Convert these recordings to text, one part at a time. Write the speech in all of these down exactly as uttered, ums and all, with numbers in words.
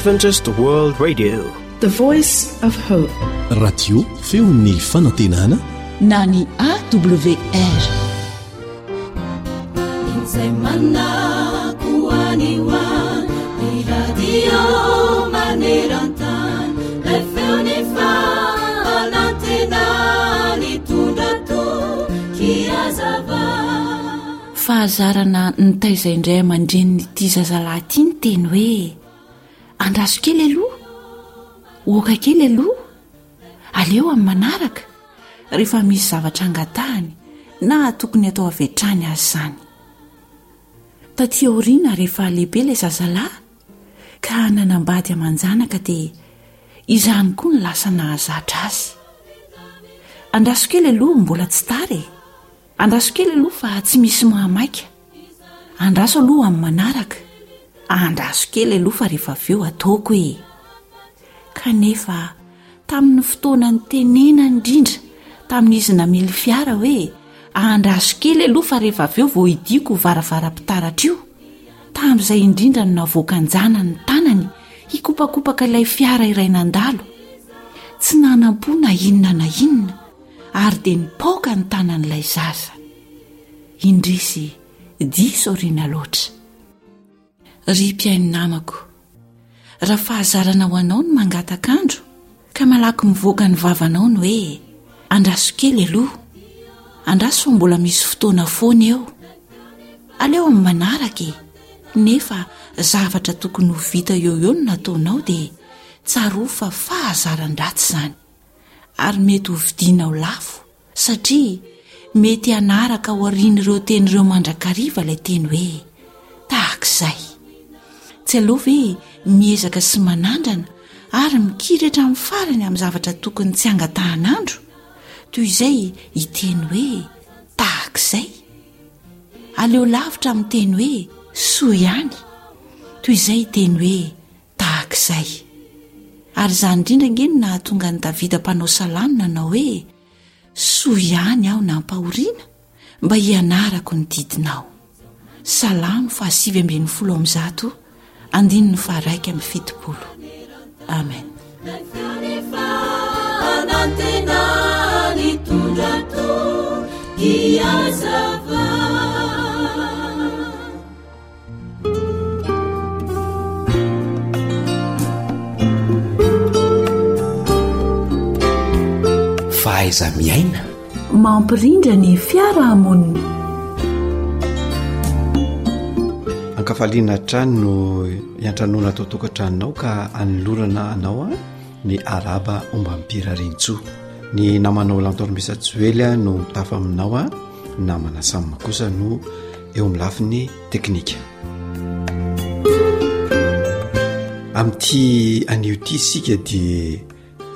Adventist World Radio, The Voice of Hope. Radio feon'ny fanantenana na ny A W R. Izay manako any ho any ny radio maneran-tany lay feon'ny fanantenana nitondra toky hazava. Fahazarana nitaiza indray aman-dreniny ity zazalahy ity ny teny hoe andraso kely aloha, oka kely aloha, aleo amin'ny manaraka, rehefa misy zavatra angatahany na tokony atao avy hatrany azy izany. Taty aoriana, rehefa lehibe ilay zazalahy ka nanambady aman-janaka, dia izany koa ny lasa nahazatra azy: andraso kely aloha, mbola tsy tara e, andraso kely aloha fa tsy misy mahamaika, andraso aloha amin'ny manaraka, andraso kely aloha fa rehefa avy eo ataoko e. Kanefa tamin'ny fotoana ny tenena indrindra tamin'izy namily fiara hoe andraso kely aloha fa rehefa avy eo vao hidiako varavaram-pitaratra io, tamin'izay indrindra no navoakan-janany ny tanany hikopakopaka ilay fiara iray nandalo, tsy nanam-po na inona na inona, ary dia nipaoka ny tanan'ilay zaza. Indrisy, diso aoriana loatra. Ry mpihaino namako, raha fahazarana ho anao ny mangatak'andro ka malaky mivoaka ny vavanao ny hoe andraso kely aloha, andraso fa mbola misy fotoana foana eo, aleo amin'ny manaraka e, nefa zavatra tokony ho vita eo eo no nataonao, dia tsaroa fa fahazaran-dratsy izany ary mety ho vidianao lafo, satria mety hanaraka ao aorian'ireo teny ireo mandrakariva ilay teny hoe tahak'izay. Tsy aloha ve miezaka sy manandrana ary mikiry hatramin'ny farany amin'ny zavatra tokony tsy angatahan'andro, toy izay hiteny hoe tahak'izay? Aleo lavitra amin'ny teny hoe soa ihany, toy izay hiteny hoe tahak'izay. Ary izany indrindra nge no nahatonga ny Davida mpanao salamo nanao hoe: soa ihany aho nampahoriana mba hianarako ny didinao. Salamo fahasivy ambin'ny folo amby zato, andininy faharaika amby fitopolo. Amen. Lay feon'ny fanantenana nitondra toky hazava. Fahaiza-miaina. Mampirindra ny fiarahamonina. Ankafaliana hatrany no iantranoana atao tokantranonao ka anolorana anao a ny araba ombam-pirarintsoa. Ny namanao Lantormisa Joely a no mitafa aminao a namana Sam kosa no eo amin'ny lafiny teknika. Amin'ity anio ity isika dia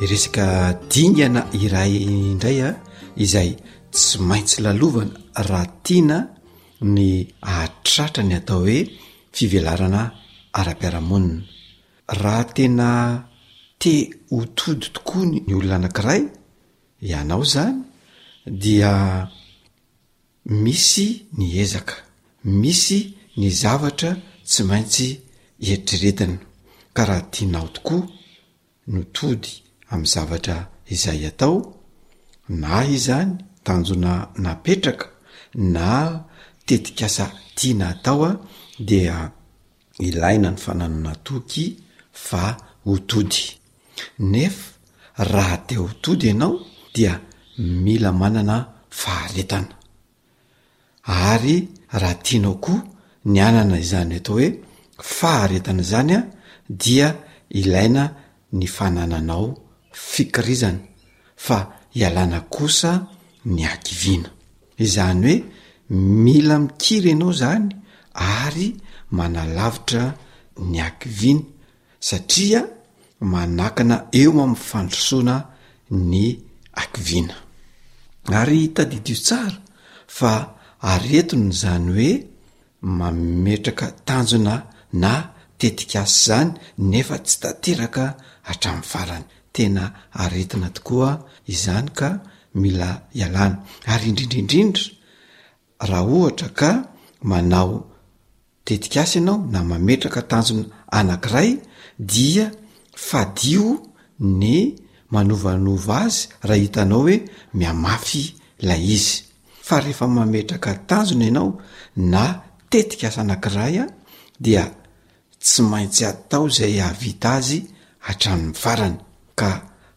resaka dingana iray indray a izay tsy maintsy lalovana raha tiana ny ahatratra ny atao hoe fivelarana ara-piarahamonina. Raha tena te ho tody tokoa ny olona anankiray, ianao zany, dia misy ny ezaka, misy ny zavatra tsy maintsy eritreretina. Ka raha tianao tokoa no tody amin'ny zavatra izay atao, na izany tanjona napetraka na tetikasa tiana atao a dia ilaina ny fananana toky fa ho tody. Nefa raha te ho tody ianao dia mila manana faharetana. Ary raha tianao koa ny anana izany atao hoe faharetana izany a dia ilaina ny fanananao fikirizana fa ialana kosa ny hakiviana. Izany hoe mila mikiry ianao zany ary manalavitra ny hakiviana, satria manakana eo amin'ny fandrosoana ny hakiviana. Ary tadidio tsara fa aretina izany hoe mametraka tanjona na tetikasa izany nefa tsy tanteraka hatramin'ny farany. Tena aretina tokoa izany ka mila ialana. Ary indrindra indrindra raha ohatra ka manao tetikasa ianao na mametraka tanjona anankiray dia fadio ny manovanova azy raha hitanao hoe mihamafy ilay izy. Fa rehefa mametraka tanjona ianao na tetikasa anankiray dia tsy maintsy atao izay hahavita azy hatramin'ny farany. Ka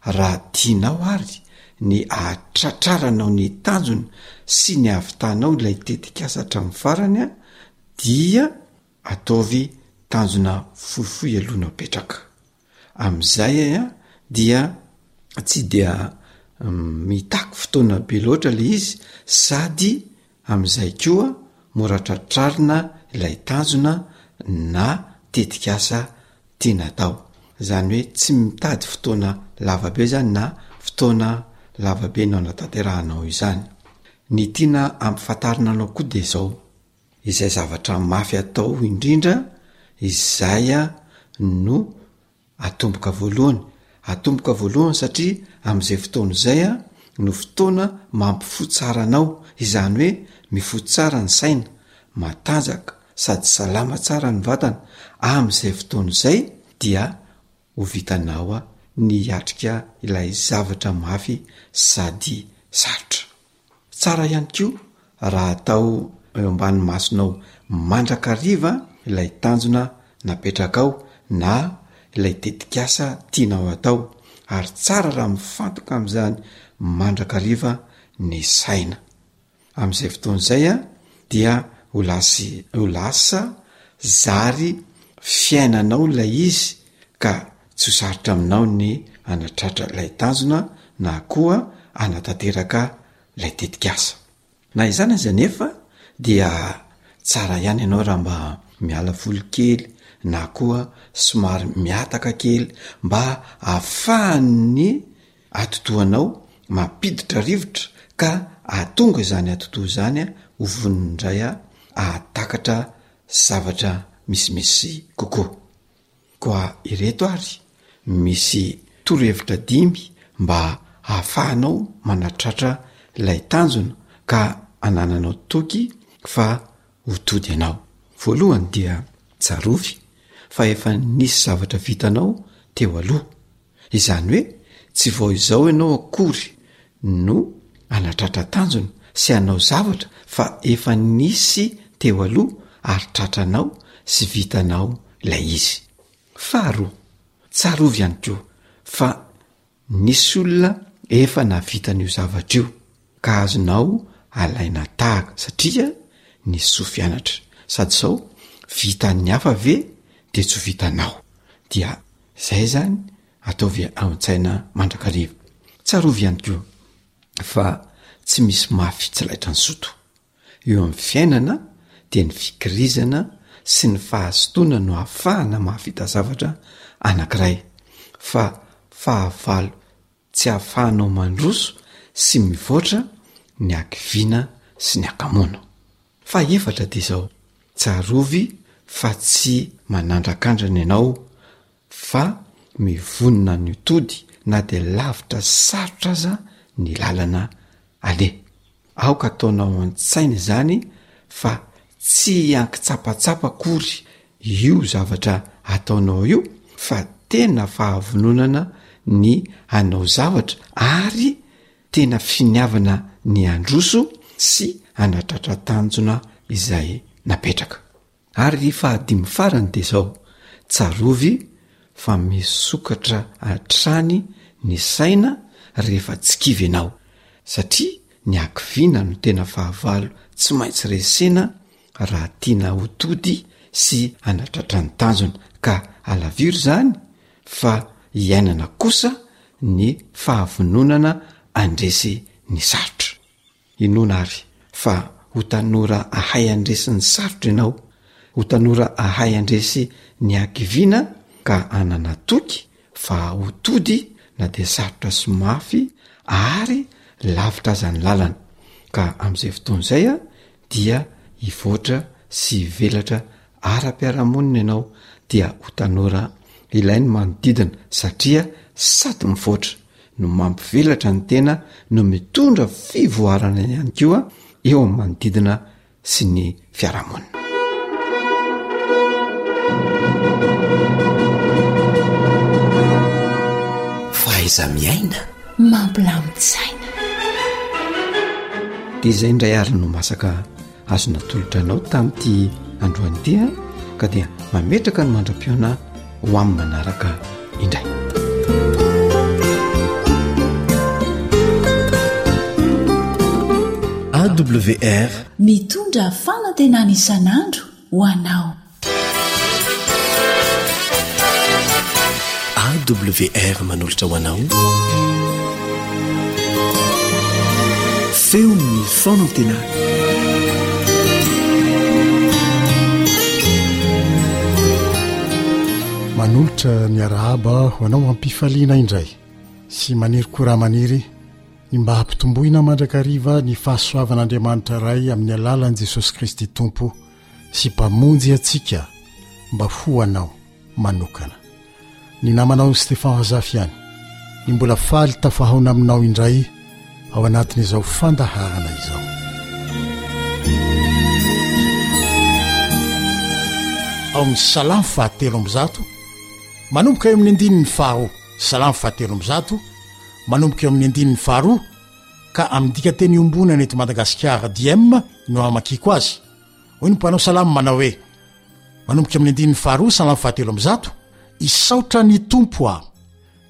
raha tianao ary ny hahatratraranao ny tanjona sy ny hahavitanao ilay tetikasa hatramin'ny farany dia ataovy tanjona fohifohy aloha no apetraka. Amin'izay dia tsy dia mitaky fotoana be loatra le izy sady amin'izay koa mora tratrarina ilay tanjona na tetikasa tiana atao. Izany hoe tsy mitady fotoana lava be zany na fotoana lava be no anatanterahanao izany. Ny tiana ampifantarina anao koa de zao, izay zavatra mafy atao indrindra izay no atomboka voalohany, atomboka voalohany satria amin'izay fotoana izay no fotoana mampifoha tsara anao, izany hoe mifoha tsara ny saina, matanjaka sady salama tsara ny vatana, amin'izay fotoana izay dia ho vitanao ny hiatrika ilay zavatra mafy sady sarotra. Tsara ihany koa raha atao eo ambany masonao mandrakariva ilay tanjona napetrakao na ilay tetikasa tianao atao ary tsara raha mifantoka amin'izany mandrakariva ny saina. Amin'izay fotoana izay dia ho lasy ho lasa zary fiainanao ilay izy ka tsy ho sarotra aminao ny hanatratra ilay tanjona na koa hanatanteraka ilay tetikasa. Na izany aza anefa dia tsara ihany ianao raha mba miala voly kely na koa somary mihataka kely mba ahafahan'ny atidohanao mampiditra rivotra ka ahatonga izany atidoha izany ho vonona indray ahatakatra zavatra misimisy kokoa. Koa ireto ary misy torohevitra dimy mba hahafahanao manatratra ilay tanjona ka anananao toky fa ho tody ianao. Voalohany dia tsarovy fa efa nisy zavatra vitanao teo aloha. Izany hoe tsy vao izao ianao akory no hanatratra tanjona sy hanao zavatra fa efa nisy teo aloha ary tratranao sy vitanao ilay izy. Faharoa, tsarovy ihany koa fa nisy olona efa nahavita an'io zavatra io ka azonao alaina tahaka satria nisy soa fianatra. Sady izao, vitan'ny hafa ve de tsy ho vitanao? Dia zay zany ataovy ao an-tsaina mandrakariva. Tsarovy ihany koa fa tsy misy mafy tsy laitran'ny zoto. Eo amin'ny fiainana dia ny fikirizana sy ny fahazotoana no ahafahana mahavita zavatra anankiray fa fahavalo tsy ahafahanao mandroso sy mivoatra ny hakiviana sy ny hakamoana. Fahefatra dia izao, tsarovy fa tsy manandrakandrana ianao fa mivonona ny ho tody na dia lavitra sy sarotra aza ny lalana aleha. Aoka ataonao an-tsaina izany fa tsy ankitsapatsapa akory io zavatra ataonao io fa tena fahavononana ny hanao zavatra ary tena finiavana ny handroso sy hanatratra tanjona izay napetraka. Ary fahadimy farany dia izao, tsarovy fa misokatra hatrany ny saina rehefa tsy kivy ianao, satria ny hakiviana no tena fahavalo tsy maintsy resena raha tiana ho tody sy hanatratra ny tanjona, ka alaviro izany fa iainana kosa ny fahavononana handresy ny sarotra. Inoana àry fa ho tanora hahay handresy ny sarotra ianao, ho tanora hahay handresy ny hakiviana ka hanana toky fa ho tody na dia sarotra sy mafy ary lavitra aza ny lalana. Ka amin'izay fotoana izay dia hivoatra sy hivelatra ara-piarahamonina ianao dia ho tanora ilain'ny manodidina satria sady mivoatra no mampivelatra ny tena no mitondra fivoarana ihany koa eo amin'ny manodidina sy ny fiarahamonina. Fahaiza-miaina. Mampilamin-tsaina. Dia izay indray ary no masaka azo natolotra anao tamin'ity androany ity a, ka dia mametraka ny mandra-pihaona ho amin'ny manaraka indray. A W R. Mitondra fanantenana isan'andro ho anao. A W R manolotra ho anao Feon'ny fanantenana. Manolotra ny arahaba ho anao ampifaliana indray sy maniry koa raha maniry ny mba hampitomboina mandrakariva ny fahasoavan'Andriamanitra Ray amin'ny alalan'i Jesosy Kristy Tompo sy Mpamonjy antsika mba ho anao manokana. Ny namanao Stefan Razafy ihany ny mbola faly tafahaona aminao indray ao anatin'izao fandaharana izao. Ao amin'ny Salamo fahatelo amby zato, manomboka eo amin'ny andininy faharoa, Salamo fahatelo amby zato, manomboka eo amin'ny andininy faharoa, ka amin'ny dikanteny iombonana eto Madagasikara D I E M no amakiko azy. Hoy ny mpanao salamo manao hoe, manomboka amin'ny andininy faharoa, Salamo fahatelo amby zato: "Isaotra ny Tompo aho,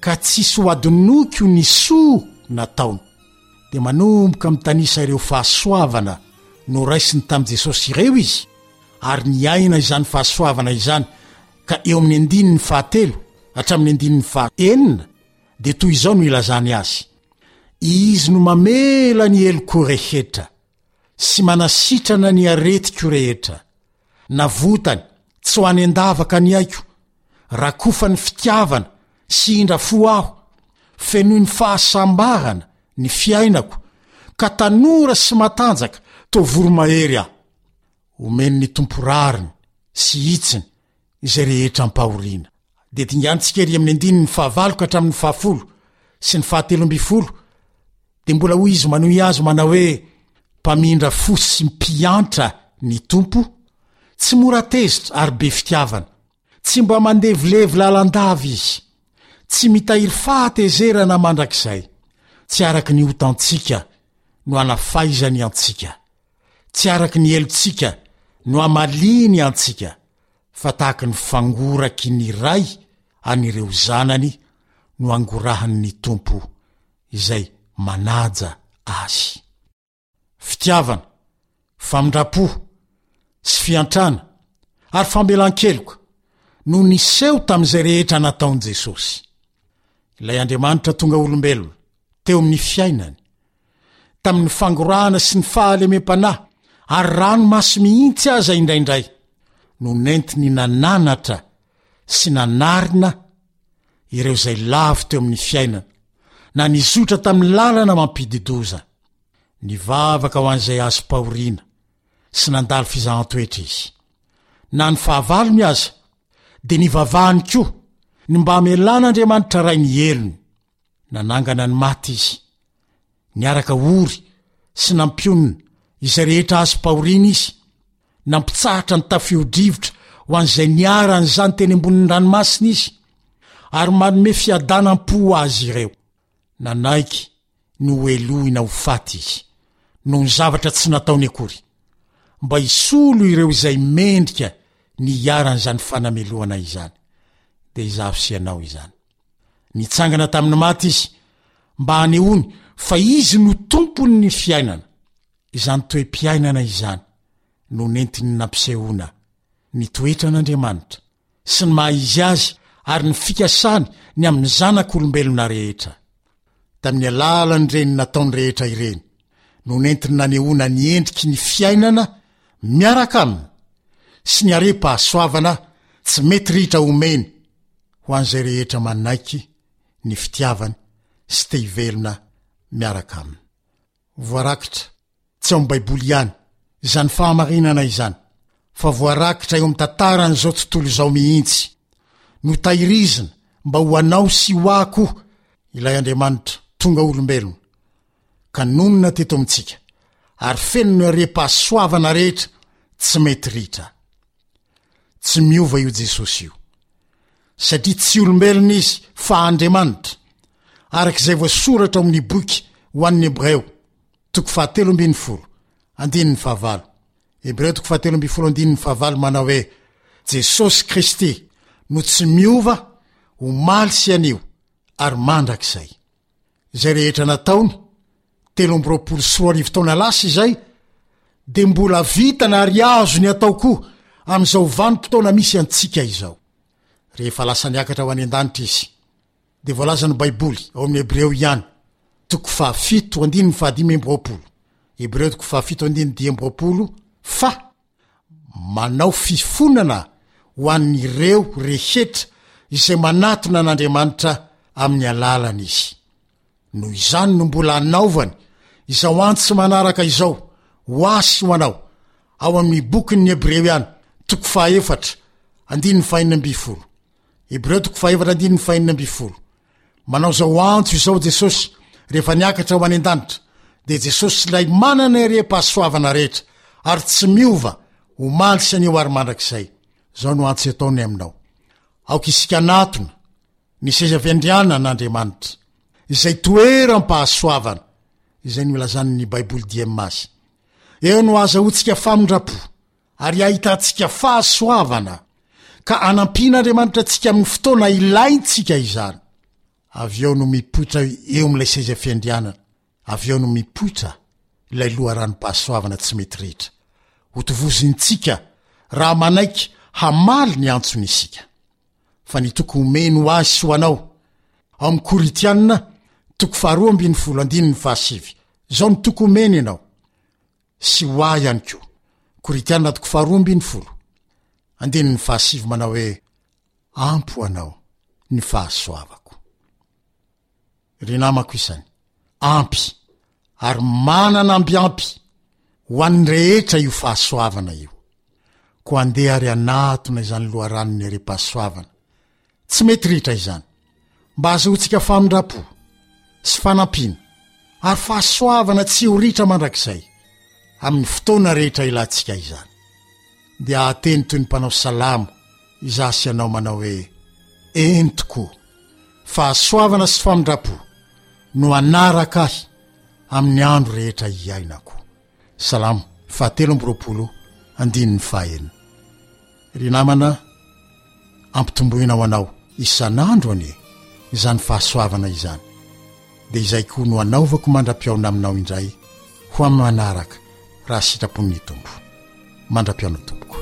ka tsisy ho adinoko ny soa nataony." Dia manomboka mitanisa ireo fahasoavana no raisiny tamin'i Jesosy ireo izy, ary niaina izany fahasoavana izany, ka eo amin'ny andininy fahatelo hatramin'ny andininy fahaenina dia toy izao no ilazany azy: "Izy no mamela ny heloko rehetra sy manasitrana ny aretiko rehetra. Navotany tsy ho any an-davaka ny aiko, rakofany fitiavana sy indra fo aho. Fenoy ny fahasambarana ny fiainako, ka tanora sy matanjaka toa voromahery aho. Omeny ny Tompo rariny sy hitsiny izay rehetra ampahoriana." De dingantsika ery amin'ny andininy fahavalo ka hatramin'ny fahafolo sy ny fahatelo amby folo, de mbola hoy izy manohy azy manao hoe: "Mpamindra fo sy mpiantra ny Tompo, tsy mora tezitra ary be fitiavana, tsy mba mandevilevy lalandava izy, tsy mitahiry fahatezerana mandrakizay, tsy araky ny otantsika no anafaizany antsika, tsy araky ny helotsika no amaliny antsika, fa tahaky ny fangoraky ny ray an'ireo zanany no angorahany Tompo izay manaja azy." Fitiavana, famindram-po sy fiantrana ary famelan-keloka no niseho tamin'izay rehetra nataon'i Jesosy, ilay Andriamanitra tonga olombelona teo amin'ny fiainany, tamin'ny fangorahana sy ny fahalemem-panahy ary ranomaso mihitsy aza indraindray no nentiny nananatra sy nanarina ireo izay lavo teo amin'ny fiainana na nizotra tamin'ny lalana mampidi-doza. Nivavaka ho an'izay azom-pahoriana sy nandalo fizahan-toetra izy. Na ny fahavalony aza de nivavahany koa ny mba hamelan'Andriamanitra Ray ny helony. Nanangana ny maty izy, niaraka ory sy nampionona izay rehetra azom-pahoriana izy, nampitsahatra ny tafio-drivotra ho an'izay niharan'izany teny ambonin'ny ranomasina izy, ary manome fiadanam-po ho azy ireo. Nanaiky ny hohelohina ho faty izy noho ny zavatra tsy nataony akory, mba hisolo ireo izay mendrika ny hiaran'izany fanamelohana izany, de izaho sy ianao izany. Nitsangana tamin'ny maty izy mba hanehoany fa izy no tompony ny fiainana. Izany toe-piainana izany no nentiny nampisehoana ny toetran'Andriamanitra sy ny maha izy azy ary ny fikasany ny amin'ny zanak'olombelona rehetra. Tamin'ny alalan'ireny nataony rehetra ireny no nentiny nanehoana ny endriky ny fiainana miaraka aminy sy ny harem-pahasoavana tsy mety ritra omeny ho an'izay rehetra manaiky ny fitiavany sy te hivelona miaraka aminy. Voarakitra tsy ao amin'ny Baiboly ihany izany fahamarinana izany, fa voarakitra eo amin'ny tantaran'izao tontolo izao mihitsy. Notahirizina mba ho anao sy ho ahy koa ilay Andriamanitra tonga olombelona ka nonina teto amintsika ary feno ny harem-pahasoavana rehetra tsy mety ritra. Tsy miova io Jesosy io, satria tsy olombelona izy fa Andriamanitra, araka izay voasoratra ao amin'ny boky ho an'ny Hebreo, toko fahatelo ambin'ny folo, andininy fahavalo. Hebreo toko fahatelo ambin'ny folo andininy fahavalo manao hoe, Jesosy Kristy no tsy miova omaly sy anio ary mandrakizay. Izay rehetra nataony, telo amby roapolo sy roa arivo taona lasa izay, dia mbola vitana ary azony atao koa amin'izao vanim-potoana misy antsika izao. Rehefa lasa niakatra ho any an-danitra izy, dia voalazan'ny Baiboly ao amin'ny Hebreo ihany, toko fahafito andininy fahadimy amby roapolo, Hebreo toko fahafito andininy dimy amby roapolo, fa manao fifonana ho an'ireo rehetra izay manatona an'Andriamanitra amin'ny alalany izy. Noho izany no mbola anaovany izao antso manaraka izao ho ahy sy ho anao, ao amin'ny bokin'ny Hebreo ihany, toko fahaefatra, andininy fahenina ambin'ny folo. Hebreo toko fahaefatra andininy fahenina ambin'ny folo. Manao izao antso izao Jesosy rehefa niakatra ho any an-danitra, dia Jesosy ilay manana herem-pahasoavana rehetra ary tsy miova omaly sy anio ary mandrakizay. Izao no antso ataony aminao. Aoka isika hanatona ny seza fiandrianan'Andriamanitra, izay toeram-pahasoavana, izay nolazan'ny Baiboly diem azy. Eo no ahazahoantsika famindram-po ary ahitantsika fahasoavana, ka anampian'Andriamanitra antsika amin'ny fotoana ilaintsika izany. Avy eo no mipoitra eo amin'ilay seza fiandrianana, avy eo no mipoitra ilay loharanom-pahasoavana tsy mety ritra. Hotovozintsika raha manaiky hamaly ny antsony isika. Fa ny toky omeny ho ahy sy ho anao, ao amin'ny Korintiana toko faharoa ambin'ny folo andininy fahasivy. Izao ny toky omeny ianao sy ho ahy ihany koa. Korintiana toko faharoa ambin'ny folo andininy fahasivy manao hoe, Ampy ho anao ny fahasoavako. Ry namako isany, ampy ary manana amby ampy ho an'ny rehetra io fahasoavana io. Koa andeha ary hanatona izany loharanon'ny harem-pahasoavana tsy mety ritra izany, mba hahazoantsika famindram-po sy fanampiana ary fahasoavana tsy ho ritra mandrakizay amin'ny fotoana rehetra ilantsika izany. Dia hahateny toy ny mpanao salamo izaho sy ianao manao hoe, Eny tokoa, fahasoavana sy famindram-po no hanaraka ahy amin'ny andro rehetra hiainako. Salamo fahatelo amby roapolo andininy fahaenina. Ry namana, ampitomboina ho anao isan'andro anie izany fahasoavana izany. Dia izay koa no hanaovako mandra-pihaona aminao indray ho amin'ny manaraka raha sitrapon'ny Tompo. Mandra-pihaona tompoko.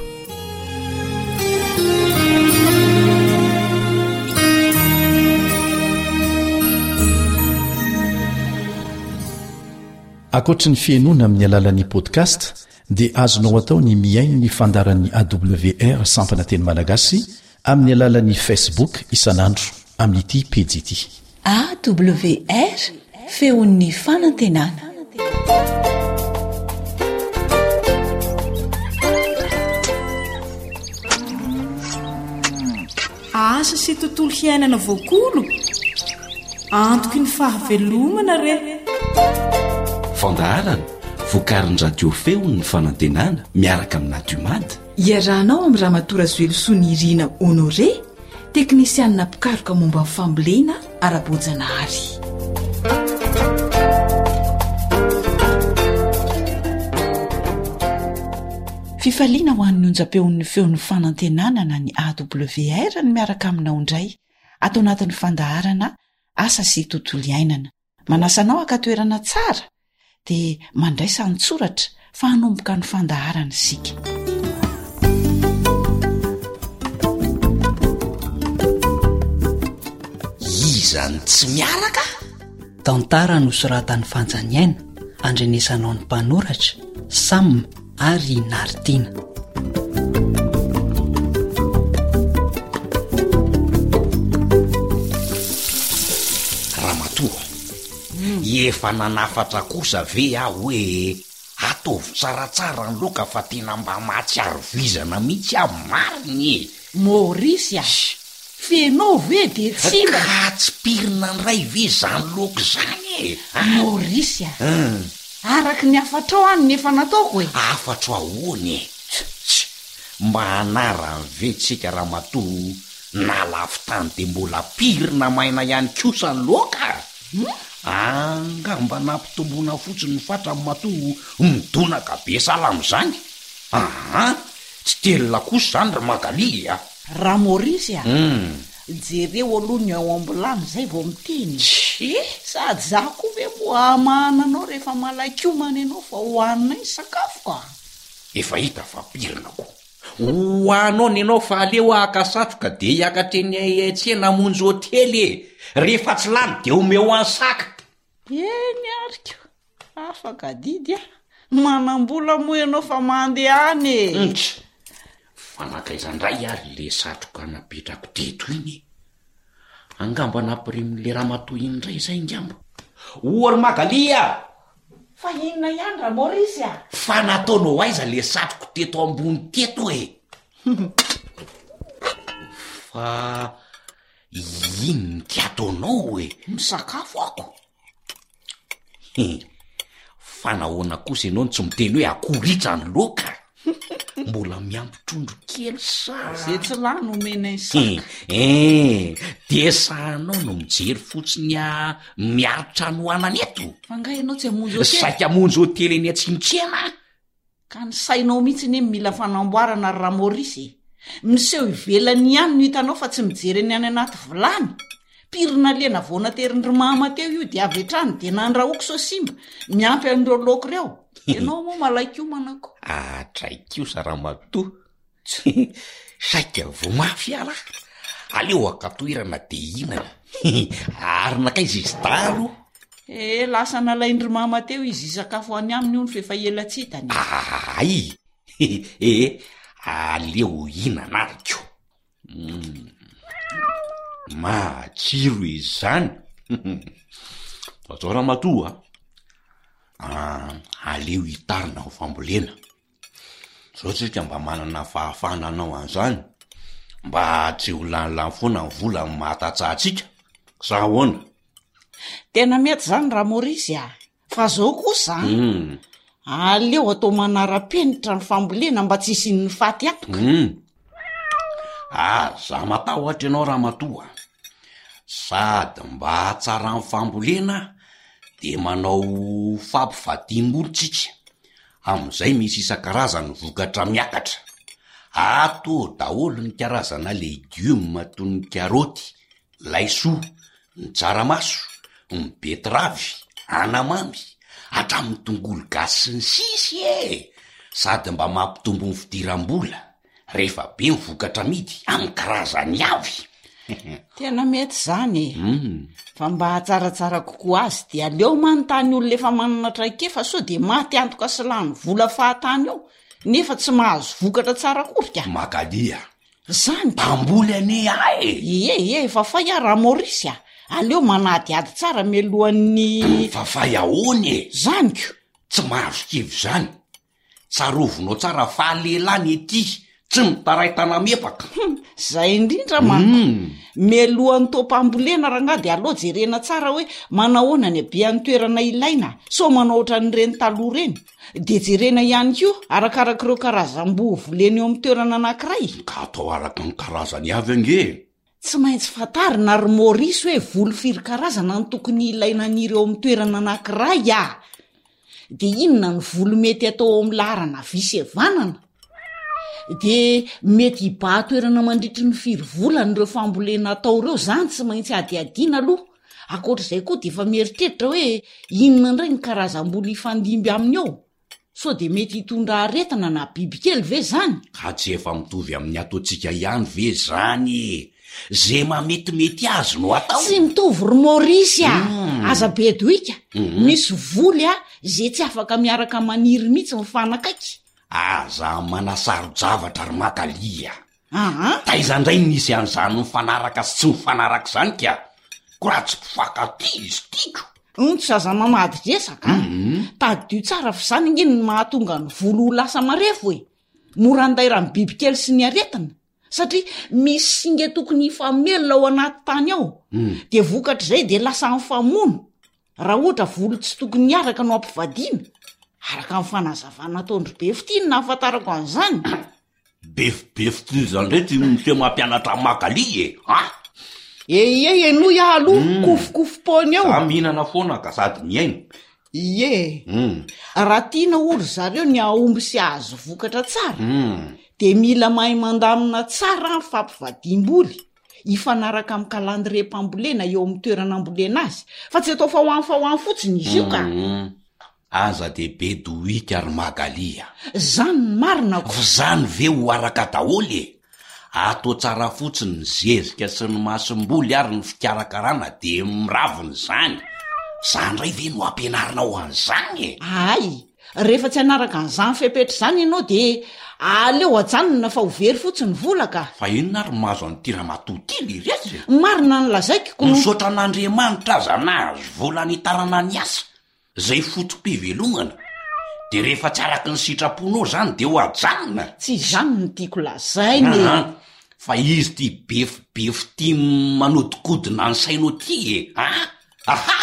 Ankoatry ny fihenoana amin'ny alalan'ny podcast dia azonao atao ny mihaino ny fandaharan'ny A W R sampana teny malagasy amin'ny alalan'ny Facebook isan'andro amin'ity pejy ity. A W R, feon'ny fanantenana. Asa sy tontolo hiainana voakolo, antoky ny fahavelomana re. Fandaharana vokarin'ny Radio Feon'ny Fanantenana miaraka amin'ny Natiomad. Iarahanao amin'i Ramatoa Razoelosoa Nirina Honoré, teknisianina mpikaroka momba ny fambolena ara-boajanahary. Fifaliana ho an'ny onjam-peon'ny feon'ny fanantenana na ny A W R ny miaraka aminao indray ato anatin'ny fandaharana Asa sy Tontolo Iainana. Manasa anao haka toerana tsara dia mandraisa an-tsoratra fa hanomboka ny fandaharana isika. Iza no tsy miaraka? Tantara nosoratan'i Fanjaniaina, andrenesanao ny mpanoratra, Sam ary i Naritiana. Ramatoa, efa nanafatra kosa ve aho hoe ataovy tsaratsara ny laoka fa tena mba mahatsiaro vizana mihitsy aho marina e! Maurice a! F'enao ve dia tsy mba. Ka tsy pirina indray ve izany laoka izany e? Maurice a! Araka ny hafatrao any ny efa nataoko e! Hafatro ahoana e? Tch! Mba hanarany ve tsika ramatoa na lafo tany dia mbola pirina maina ihany kosa ny laoka? Angamba nampitomboina fotsiny ny fatrany matoa midonaka be sahala amin'izany. Aa! Tsy telina kosa izany ry Magalie a! Ramaurisy a! Jereo aloha ny ao am-bilany izay vao miteny e! Sady izaho koa ve moa hamahana anao rehefa malain-komana ianao fa hohaninay ny sakafo ka! Efa hita fa pirina ko! Ho anao ny anao fa aleo haka satroka dia hiakatra eny an-tsena hamonjy hotely e! Rehefa tsy lany dia omeo an'i Saka! Eny ary ko! Afaka adidy ah! Manam-bola moa ianao fa mandehana e! Ntry! Fa nankaiza indray ary le satroka napetrako teto iny e? Angamba nampirimin'le ramatoa iny indray izay angamba. O ry Magalie a! Fa inona ihany Ramaurisy a? Fa nataonao aiza le satroko teto ambony teto e? Fa inona ty ataonao e? Misakafo ako. He, fa nahoana kosa ianao no tsy miteny hoe akoritsa ny laoka? Mbola miampy trondro kely sa? Ze tsy lany omenay saka. Eh, dia sahanao no mijery fotsiny a miaritra hanoanana eto? Fa nga ianao tsy hamonjy hotely? Saika hamonjy hotely eny Atsimotsena aho. Ka ny sainao mihitsy anie mila fanamboarana ry Ramaurisy e! Miseho ivelany ihany no hitanao fa tsy mijery ny any anaty vilany. Pirina lena vao naterin-dry mama teo io dia avy hatrany dia nandrahoako sao simba, miampy an'ireo laoka ireo. Ianao moa malain-komana ko. Hatray kosa ramatoa. Saika voa mafy aho lahy. Aleo haka toerana dia hihinana. Ary nankaiza izy dahalo? Eh, lasa nalain-dry mama teo izy hisakafo any aminy hono f'efa ela tsy hitany. Ay! Eh, aleo hihinana ary ko. Matsiro izany. Atao ramatoa a, aleo hitarina ho fambolena. Zao tsika mba manana fahafahana hanao an'izany, mba tsy ho lanilany foana ny vola amin'ny maha tantsaha antsika, sa ahoana? Tena mety izany Ramaurisy a! Fa zao kosa an, Mm. aleo atao manara-penitra ny fambolena mba tsy hisian'ny faty antoka. Mm. Aza matahotra ianao ramatoa. Sady mba hahatsara ny fambolena dia manao fampivadiam-bolo tsika. Amin'izay misy isan-karazany ny vokatra miakatra. Ato daholo ny karazana legioma toy ny karaoty, laisoa, ny tsaramaso, ny betiravy, anamamy, hatramin'ny tongolo gasy sy ny sisa e! Sady mba mampitombo ny fidiram-bola rehefa be ny vokatra amidy amin'ny karazany avy. Tena mety izany e! Fa mba hahatsaratsara kokoa azy dia aleo manontany olona efa manana traikefa sao dia maty antoka sy lany vola fahatany eo nefa tsy mahazo vokatra tsara akory ka. Magalie a! Zany ka! Mpamboly anie ahy e! Ie, ie, efa fay aho Ramaurisy a! Aleo manadihady tsara mialohan'ny. Fa fay ahoana e? Zany ko! Tsy mahazo kivy izany. Tsarovinao tsara fa lehilahy ny ety, tsy mitaray tanamepaka. Hum, zay indrindra manko. Mialohan'ny taom-pambolena rangahy dia aleo jerena tsara hoe manahoana ny habean'ny toerana ilaina, sao manao ohatran'ireny taloha ireny. Dia jerena ihany koa arakarak'ireo karazam-boa volena eo amin'ny toerana anankiray. Ka atao araka ny karazany avy ange e! Tsy maintsy fantarina ry Maurice hoe voly firy karazana no tokony hilaina haniry eo amin'ny toerana anankiray a! Dia inona ny voly mety atao ao amin'ny laharana havia sy havanana? Dia mety hibahan-toerana mandritry ny firy volana ireo fambolena atao ireo, izany tsy maintsy hadihadiana aloha. Ankoatra izay koa dia efa mieritreritra hoe inona indray ny karazam-boly hifandimby aminy eo? Sao dia mety hitondra aretina na bibikely ve izany? Ka tsy efa mitovy amin'ny ataontsika ihany ve izany e? Ze mametimety azy no atao. Tsy mitovy ry Maurice a! Aza be doika. Misy voly a, ze tsy afaka miaraka maniry mihitsy mifanakaiky. Aza manasaro-javatra ry Magalie a! Aa! Taiza indray no nisy an'izany mifanaraka sy tsy mifanaraka izany ka? Ko raha tsy mpifankatia izy tiako. Ontsa aza mamady resaka a! Tadidio tsara fa izany ange no mahatonga ny volo ho lasa marefo e! Mora andairan'ny bibikely sy ny aretina. Satria misy singa tokony hifamelona ao anaty tany ao. Dia vokatr'izay dia lasa mifamono. Raha ohatra volo tsy tokony hiaraka no ampivadiana. Araka ny fanazavana ataon-dry Befitia no nahafantarako an'izany. Befibefy toy izany indray ty miseho mampianatra an'i Magalie e! An! Eie, henoy aho aloha, kofokofopoana eo. Za mihinana foana ka sady mihaino. Ie. Hum. Raha tiana hoy ry zareo ny hahomby sy hahazo vokatra tsara, Hum. dia mila mahay mandamina tsara ny fampivadiam-boly, hifanaraka amin'ny kalandriam-pambolena eo amin'ny toerana ambolena azy, fa tsy atao fa ho any fa ho any fotsiny izy io ka. Hum. Aza de be dohika ry Magali a. Zany ny marina ko. F'zany ve ho araka daholo e? Atao tsara fotsiny ny zezika sy ny masomboly ary ny fikarakarana de miravina izany. Za ndray ve no ampianarinao an'izany e? Hay, rehefa tsy hanaraka an'izany fepetra izany ianao de aleo ajanona fa ho very fotsiny ny vola ka. Fa inona ary mahazo an'ity ramatoa ity le resy e? Marina ny lazaiko ko. Misaotra an'Andriamanitra aza nahazo vola nitarana ny asa, zay foto-pivelomana. De rehefa tsy araky ny sitraponao zany de ho ajanona. Tsy izany no tiako lazaina e. Aha, fa izy ty befibefy ty manodikodina ny sainao ty e. Ah, aha,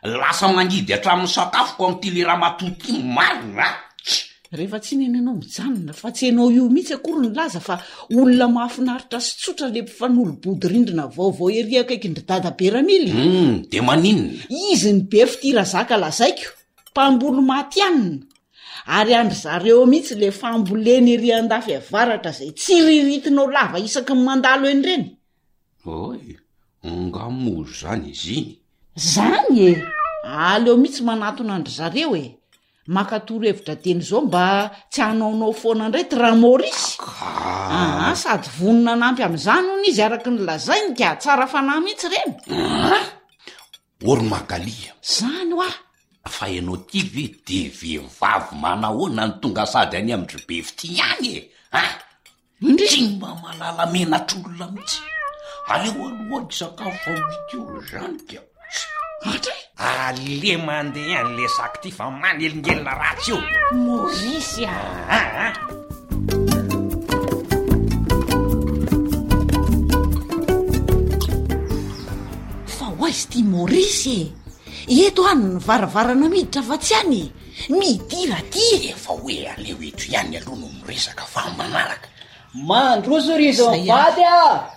lasa mangidy hatramin'ny sakafoko amin'ity le ramatoa ty marina a. Rehefa tsy nena ianao mijanona fa tsy ianao io mihitsy akory nilaza fa olona mahafinaritra sy tsotra le mpifanolo-bodirindrina vaovao ery akaikin-dry Dada Beramily. Hmm, de maninona? Izy ny be fitia razaka lazaiko, mpamboly matihanina. Ary andry zareo mihitsy le fambolena ery andafy avaratra izay tsiriritinao lava isaky ny mandalo eny ireny. Oy, nga moa zany izy iny? Zany e! Aleo mihitsy manatona andry zareo e! Maka torohevitra teny izao mba tsy hanaonao foana indray ty Raha-Maurice. Ka. Aha, sady vonona hanampy amin'izany hono izy araka ny lazainy ka tsara fanahy mihitsy ireny. Ah! Ory Magalia. Zany hoa. Fa ianao ty ve de vehivavy manahoana no tonga sady any amin-dry be fitia ihany e? Ah! Indry. Tsy mba mahalala menatr'olona mihitsy. Aleo aloha hisakafo fa ho hita eo zany ka. Andry. Ale mandeha any le saky ty fa manelingelina ratsy io. Maurice a. Ah, ah. Fa ho aiza ty Maurice e? Eto any ny varavarana miditra fa tsy any e. Midira ty. Efa hoe aleo eto ihany aloha no miresaka fa manaraka. Mandroso ry izy Zay mivady a!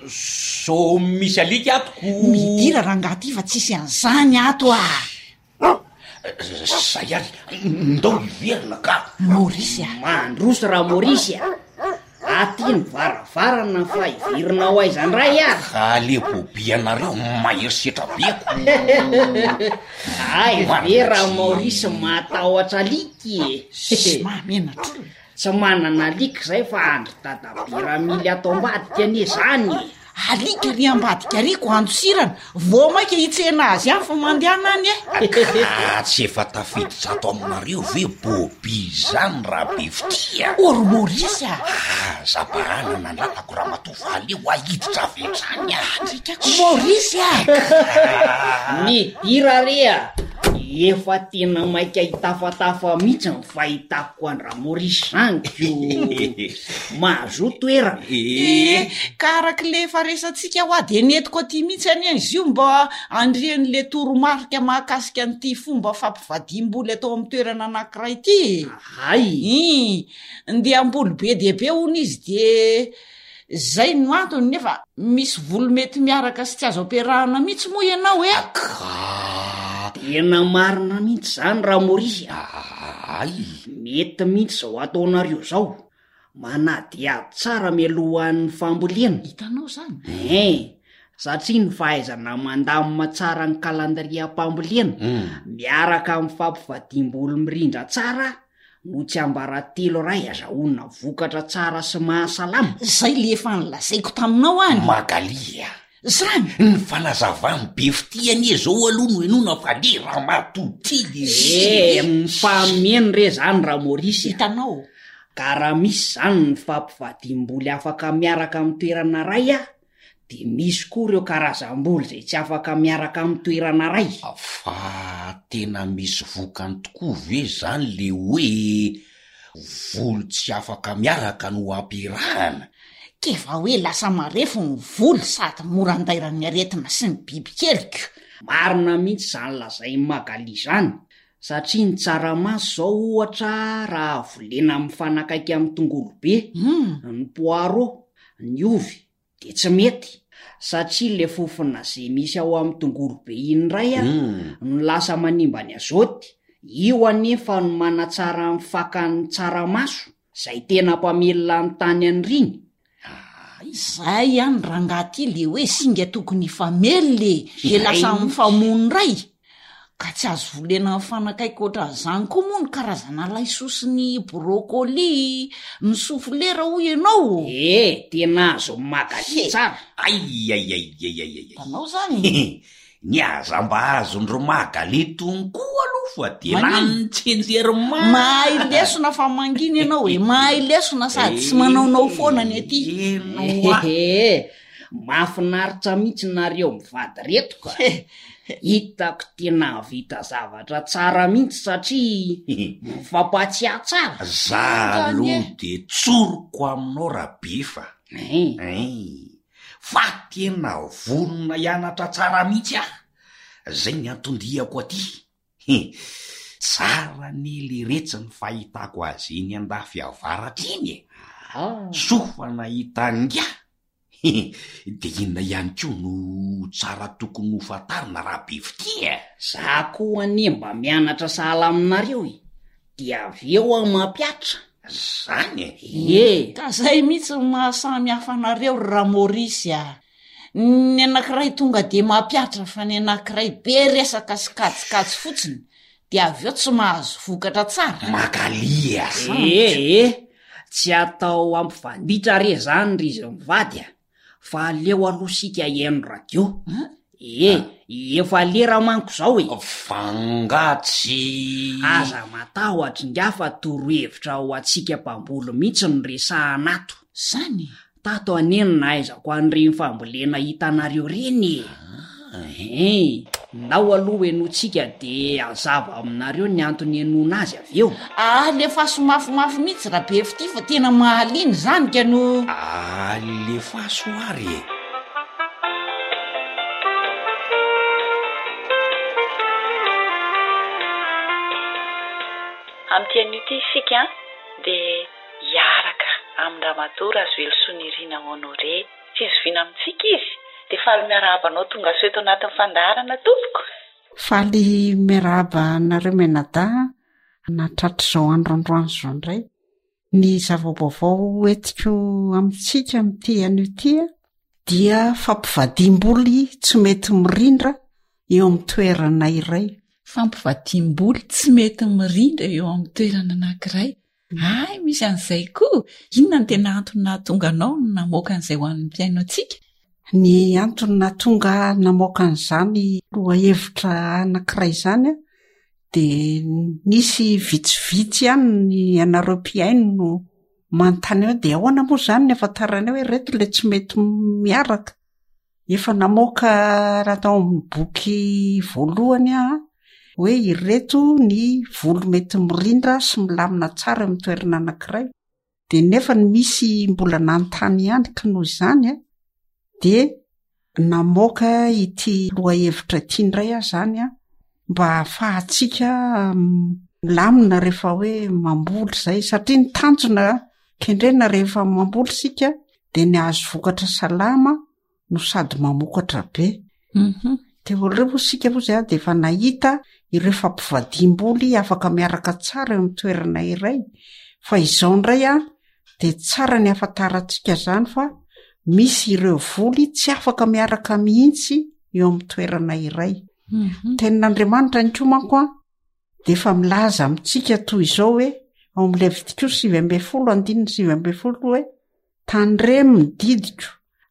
So misy alika ato ko. Midira rangahy ty fa tsisy an'izany ato a. Zay ary, ndao hiverina ka. Maurice a. Mandroso raha Maurice a. Aty ny varavarana fa hiverina ho aiza indray ary. Ale bobianareo mahery setra be ko. Ay ve raha Maurice matahotra alika e. Sy mahamenatra olona. Tsy manana alika izay fa andry dadabe Ramily ato ambadika anie zany e. Alika ry ambadika ry ko andosirana, vao maika hitsena azy ihany fa mandehana any e. Ka tsy efa tafiditra ato aminareo ve Bobi zany raha be fitia? Ory Maurice a. Aza bahana nandratako ramatoa fa aleo ahiditra avy hatrany a. Andrikako Maurice a. Midira re a. Efa tena maika hitafatafa mihitsy ny fahitako an-dRa-Maurice zany ko. Mahazo toerana. Eh, ka araka le efa resantsika hoa de nentiko aty mihitsy anie izy io mba andrian'le toromarika mahakasika an'ity fomba fampivadiam-boly atao amin'ny toerana anankiray ity e. Ay. Ih, ndeha hamboly be dia be hono izy de zay no antony nefa misy voly mety miaraka sy tsy azo ampiarahana mihitsy moa ianao e. Ka. Tena marina mihitsy zany Raha-Maurice a. Ay. Mety mihitsy zao ataonareo zao. Manadihady tsara mialohan'ny fambolena. Hitanao zany? Eh, satria ny fahaizana mandamina tsara ny kalandriam-pambolena miaraka amin'ny fampivadiam-boly mirindra tsara no tsiambaratelo iray azahoana vokatra tsara sy mahasalama. Zay le efa nolazaiko taminao any. Magalia. Zany. Ny fanazavany be fitia anie zao aloha no henoina fa le ramatoa ty le Eh, mifameno re zany Raha-Maurice a. Hitanao. Ka raha misy zany ny fampivadiam-boly afaka miaraka amin'ny toerana iray a, de misy koa ireo karazam-boly izay tsy afaka miaraka amin'ny toerana iray. Fa tena misy vokany tokoa ve zany le hoe voly tsy afaka miaraka no ampiarahana? Kefa hoe lasa marefo ny voly sady mora andairan'ny aretina sy ny bibikeliko. Marina mihitsy zany lazain'i Magali zany, satria ny tsaramaso zao ohatra raha volena mifanakaiky amin'ny tongolo be, Hmm. ny poireau, ny ovy, de tsy mety. Satria le fofona ze misy ao amin'ny tongolo be iny indray a, no lasa manimba ny azote, io anefa no manatsara ny fakan'ny tsaramaso, zay tena mpamelona ny tany an'iriny. Izay ihany rangahy ty le hoe singa tokony hifamelona e, de lasa mifamono indray. Ka tsy azo volena mifanakaiky ohatran'izany koa moa ny karazana laisoa sy ny brocoli, ny soflera hoy ianao? E, tena azo Magali tsara. Aiaiaiaiaiai. Hitanao zany? Ny aza mba azon-dry Magali tony koa aloha fa de Maninona? lany tsinjery mafy. Mahay lesona fa mangina ianao e, mahay lesona sady tsy manaonao foana ny aty. Ehe, mahafinaritra mihitsy nareo mivady reto ka. Hitako tena hahavita zavatra tsara mihitsy satria mifampatsiahy tsara. Za aloha de tsoriko aminao Rabefa. Ein. Fa tena vonona hianatra tsara mihitsy aho. Zay ny anton-diako aty. He, tsara anie leretsy ny fahitako azy eny andafy avaratra iny e. Soa fa nahita an'ingahy. He, de inona ihany koa no tsara tokony ho fantarina raha be fitia e? Za koa anie mba mianatra sahala aminareo e, dia avy eo aho mampihatra. Zany e! Ie! Ka zay mihitsy no maha samy hafa anareo ry Ramôrisy a! Ny anankiray tonga dia mampihatra fa ny anankiray be resaka sy kajikajy fotsiny dia avy eo tsy mahazo vokatra tsara. Magalie a! Ee e! Tsy atao hampivanditra re zany ry izy mivady a! Fa aleo aloha isika hihaino radio. Ee, efa lera manko izao e! Fa nga tsy. Aza matahotra ingahy fa torohevitra ho antsika mpamboly mihitsy no resahana ato. Zany? Tato anie no nahaizako an'ireny fambolena hitanareo ireny e! Hein! Ndao aloha henointsika dia hazava aminareo ny antony henoina azy avy eo. Alefaso mafimafy mihitsy Rabefitia fa tena mahaliana izany ka no. Alefaso ary e! Amin'ity anio ity isika dia hiaraka amin-dRamatoa Razoelosoa Nirina Honoré. Tsy zoviana amintsika izy, dia faly miarahaba anao tonga soa eto anatin'ny fandaharana tompoko. Faly miarahaba anareo mianadahy nahatratra izao andro androany izao indray. Ny zava-baovao entiko amintsika amin'ity anio ity dia fampivadiam-boly tsy mety mirindra eo amin'ny toerana iray. Fampivadiam-boly tsy mety mirindra eo amin'ny toerana anankiray. Hay, misy an'izay koa! Inona no tena antony nahatonga anao no namoaka an'izay ho an'ny mpihaino antsika? Ny antony nahatonga ahy namoaka an'izany lohahevitra anankiray izany an, dia nisy vitsivitsy ihany ny ianareo mpihaino no manontany hoe dia ahoana moa izany ny ahafantaranay hoe ireto ilay tsy mety miaraka? Efa namoaka raha tao amin'ny boky voalohany aho hoe ireto ny voly mety mirindra sy milamina tsara eo amin'ny toerana anankiray. Dia nefa ny misy mbola nanontany ihany ka noho izany a, dia namoaka ity lohahevitra ity indray aho izany a, mba hahafahantsika milamina rehefa hoe mamboly izay, satria ny tanjona kendrena rehefa mamboly isika dia ny hahazo vokatra salama no sady mamokatra be. Mhm. Teo aloha moa isika moa izay dia efa nahita ireo fampivadiam-boly afaka miaraka tsara eo amin'ny toerana iray, fa izao indray a, dia tsara ny hahafantarantsika izany fa misy ireo voly tsy afaka miaraka mihitsy eo amin'ny toerana iray. Mhm. Tenin'Andriamanitra ihany koa manko a, dia efa milaza amintsika toy izao hoe ao amin'ny Levitikosy sivy ambin'ny folo andininy sivy ambin'ny folo hoe tandremo ny didiko,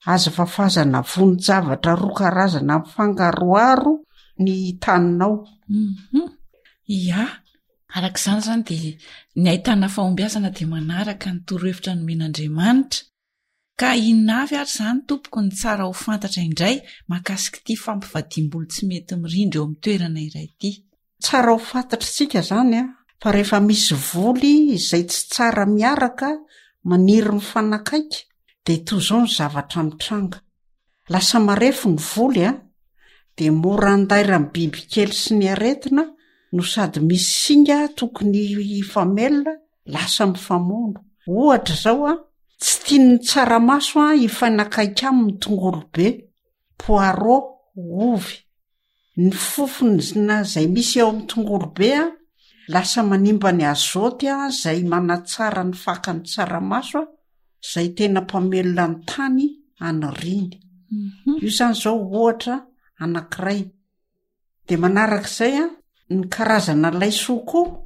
aza fafazana vonin-javatra roa karazana mifangaroharo ny taninao. Mhm. Ia, araka izany izany dia ny ahitana fahombiazana dia manaraka ny torohevitra nomen'Andriamanitra. Ka inona avy ary izany tompoko ny tsara ho fantatra indray mahakasika ity fampivadiam-bolo tsy mety mirindra eo amin'ny toerana iray ity? Tsara ho fantatr'isika izany an, fa rehefa misy voly izay tsy tsara miaraka maniry mifanakaiky dia toy izao ny zavatra mitranga. Lasa marefo ny voly an, dia mora andairan'ny bibikely sy ny aretina no sady misy singa tokony hifamelona lasa mifamono. Ohatra izao an, Tsy tian'ny tsaramaso an hifanakaiky aminy ny tongolo be, poireau, ovy. Ny fofona izay misy eo amin'ny tongolo be an, lasa manimba ny azote an izay manatsara ny fakan'ny tsaramaso an, izay tena mpamelona ny tany aniriany. Io izany izao ohatra anankiray. Dia manarak'izay an, ny karazana laisoa koa,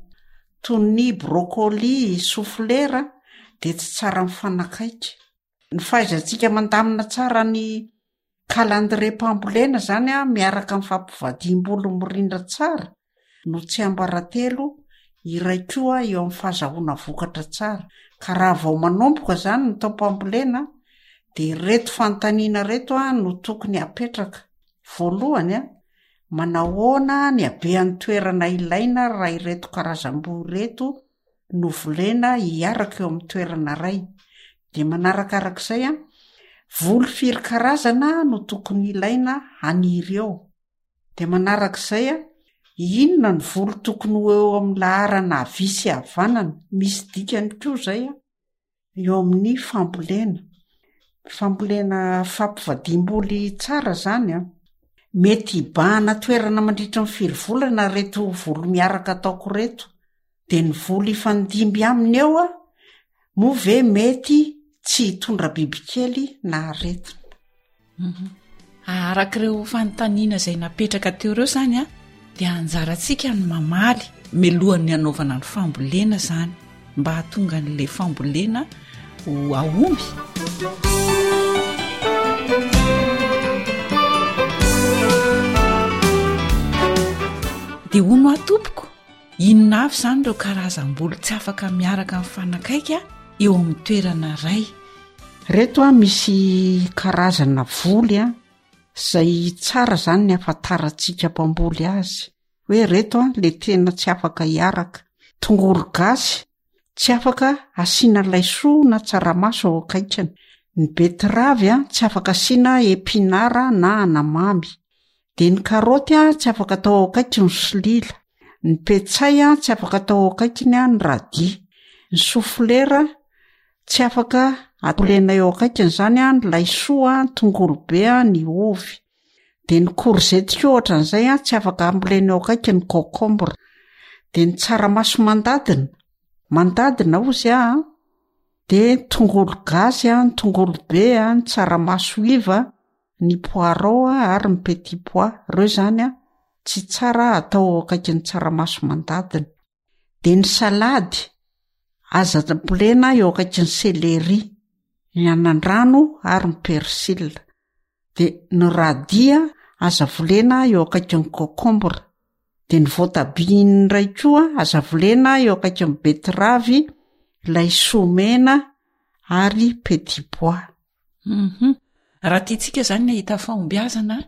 toy ny brocoli, soflera, dia tsy tsara mifanakaiky. Ny fahaizantsika mandamina tsara ny kalandriam-pambolena izany an, miaraka amin'ny fampivadiam-bolo mirindra tsara no tsiambaratelo iray koa eo amin'ny fahazahoana vokatra tsara. Ka raha vao manomboka izany ny taom-pambolena dia ireto fanontaniana ireto an no tokony hapetraka. Voalohany an, manahoana ny habean'ny toerana ilaina raha ireto karazam-boa ireto no volena hiaraka eo amin'ny toerana iray? Dia manarakarak'izay an, voly firy karazana no tokony ilaina haniry eo? Dia manarak'izay an, inona ny voly tokony ho eo amin'ny laharana havia sy havanana? Misy dikany koa izay an. eo amin'ny fambolena. Fambolena fampivadiam-boly tsara zany an. Mety hibahana toerana mandritra ny firy volana ireto voly miaraka ataoko ireto. Dia ny voly hifandimby aminy eo an, moa ve mety tsy hitondra bibikely na aretina? Mhm. Araka ireo fanontaniana izay napetraka teo ireo izany a, dia anjarantsika ny mamaly milohan'ny hanaovana ny fambolena izany mba hahatonga an'ilay fambolena ho ahomby. Dia hono aho tompoko, inona avy izany ireo karazam-boly tsy afaka miaraka mifanakaiky eo amin'ny toerana iray? Reto a misy karazana voly a zay tsara zany ny ahafantarantsika mpamboly azy hoe reto a le tena tsy afaka hiaraka. Tongolo gasy tsy afaka asiana laisoa na tsaramaso ao akaikiny. Ny betiravy a tsy afaka asiana epinara na anamamy. De ny karaoty a tsy afaka atao ao akaiky ny solila. Ny petsay a tsy afaka atao ao akaikiny a ny radis. Ny soflera Tsy afaka ambolena eo akaikiny izany an, ny laisoa, ny tongolo be, ny ovy. Dia ny korzety koa ohatran'izay an, tsy afaka ambolena eo akaiky ny concombre. Dia ny tsaramaso mandadina, mandadina hozy aho an, dia ny tongolo gasy an, ny tongolo be an, ny tsaramaso iva, ny poireau ary ny petit pois. Ireo izany an, tsy tsara atao eo akaikin'ny tsaramaso mandadina. Dia ny salady, aza ambolena eo akaikin'ny céleri, ny anandrano ary ny persil. Dia ny radis aza volena eo akaikin'ny concombre. Dia ny voatabia indray koa aza volena eo akaikin'ny betterave, laisoa mena ary petit pois. Hum. Raha tiantsika izany ny hahita fahombiazana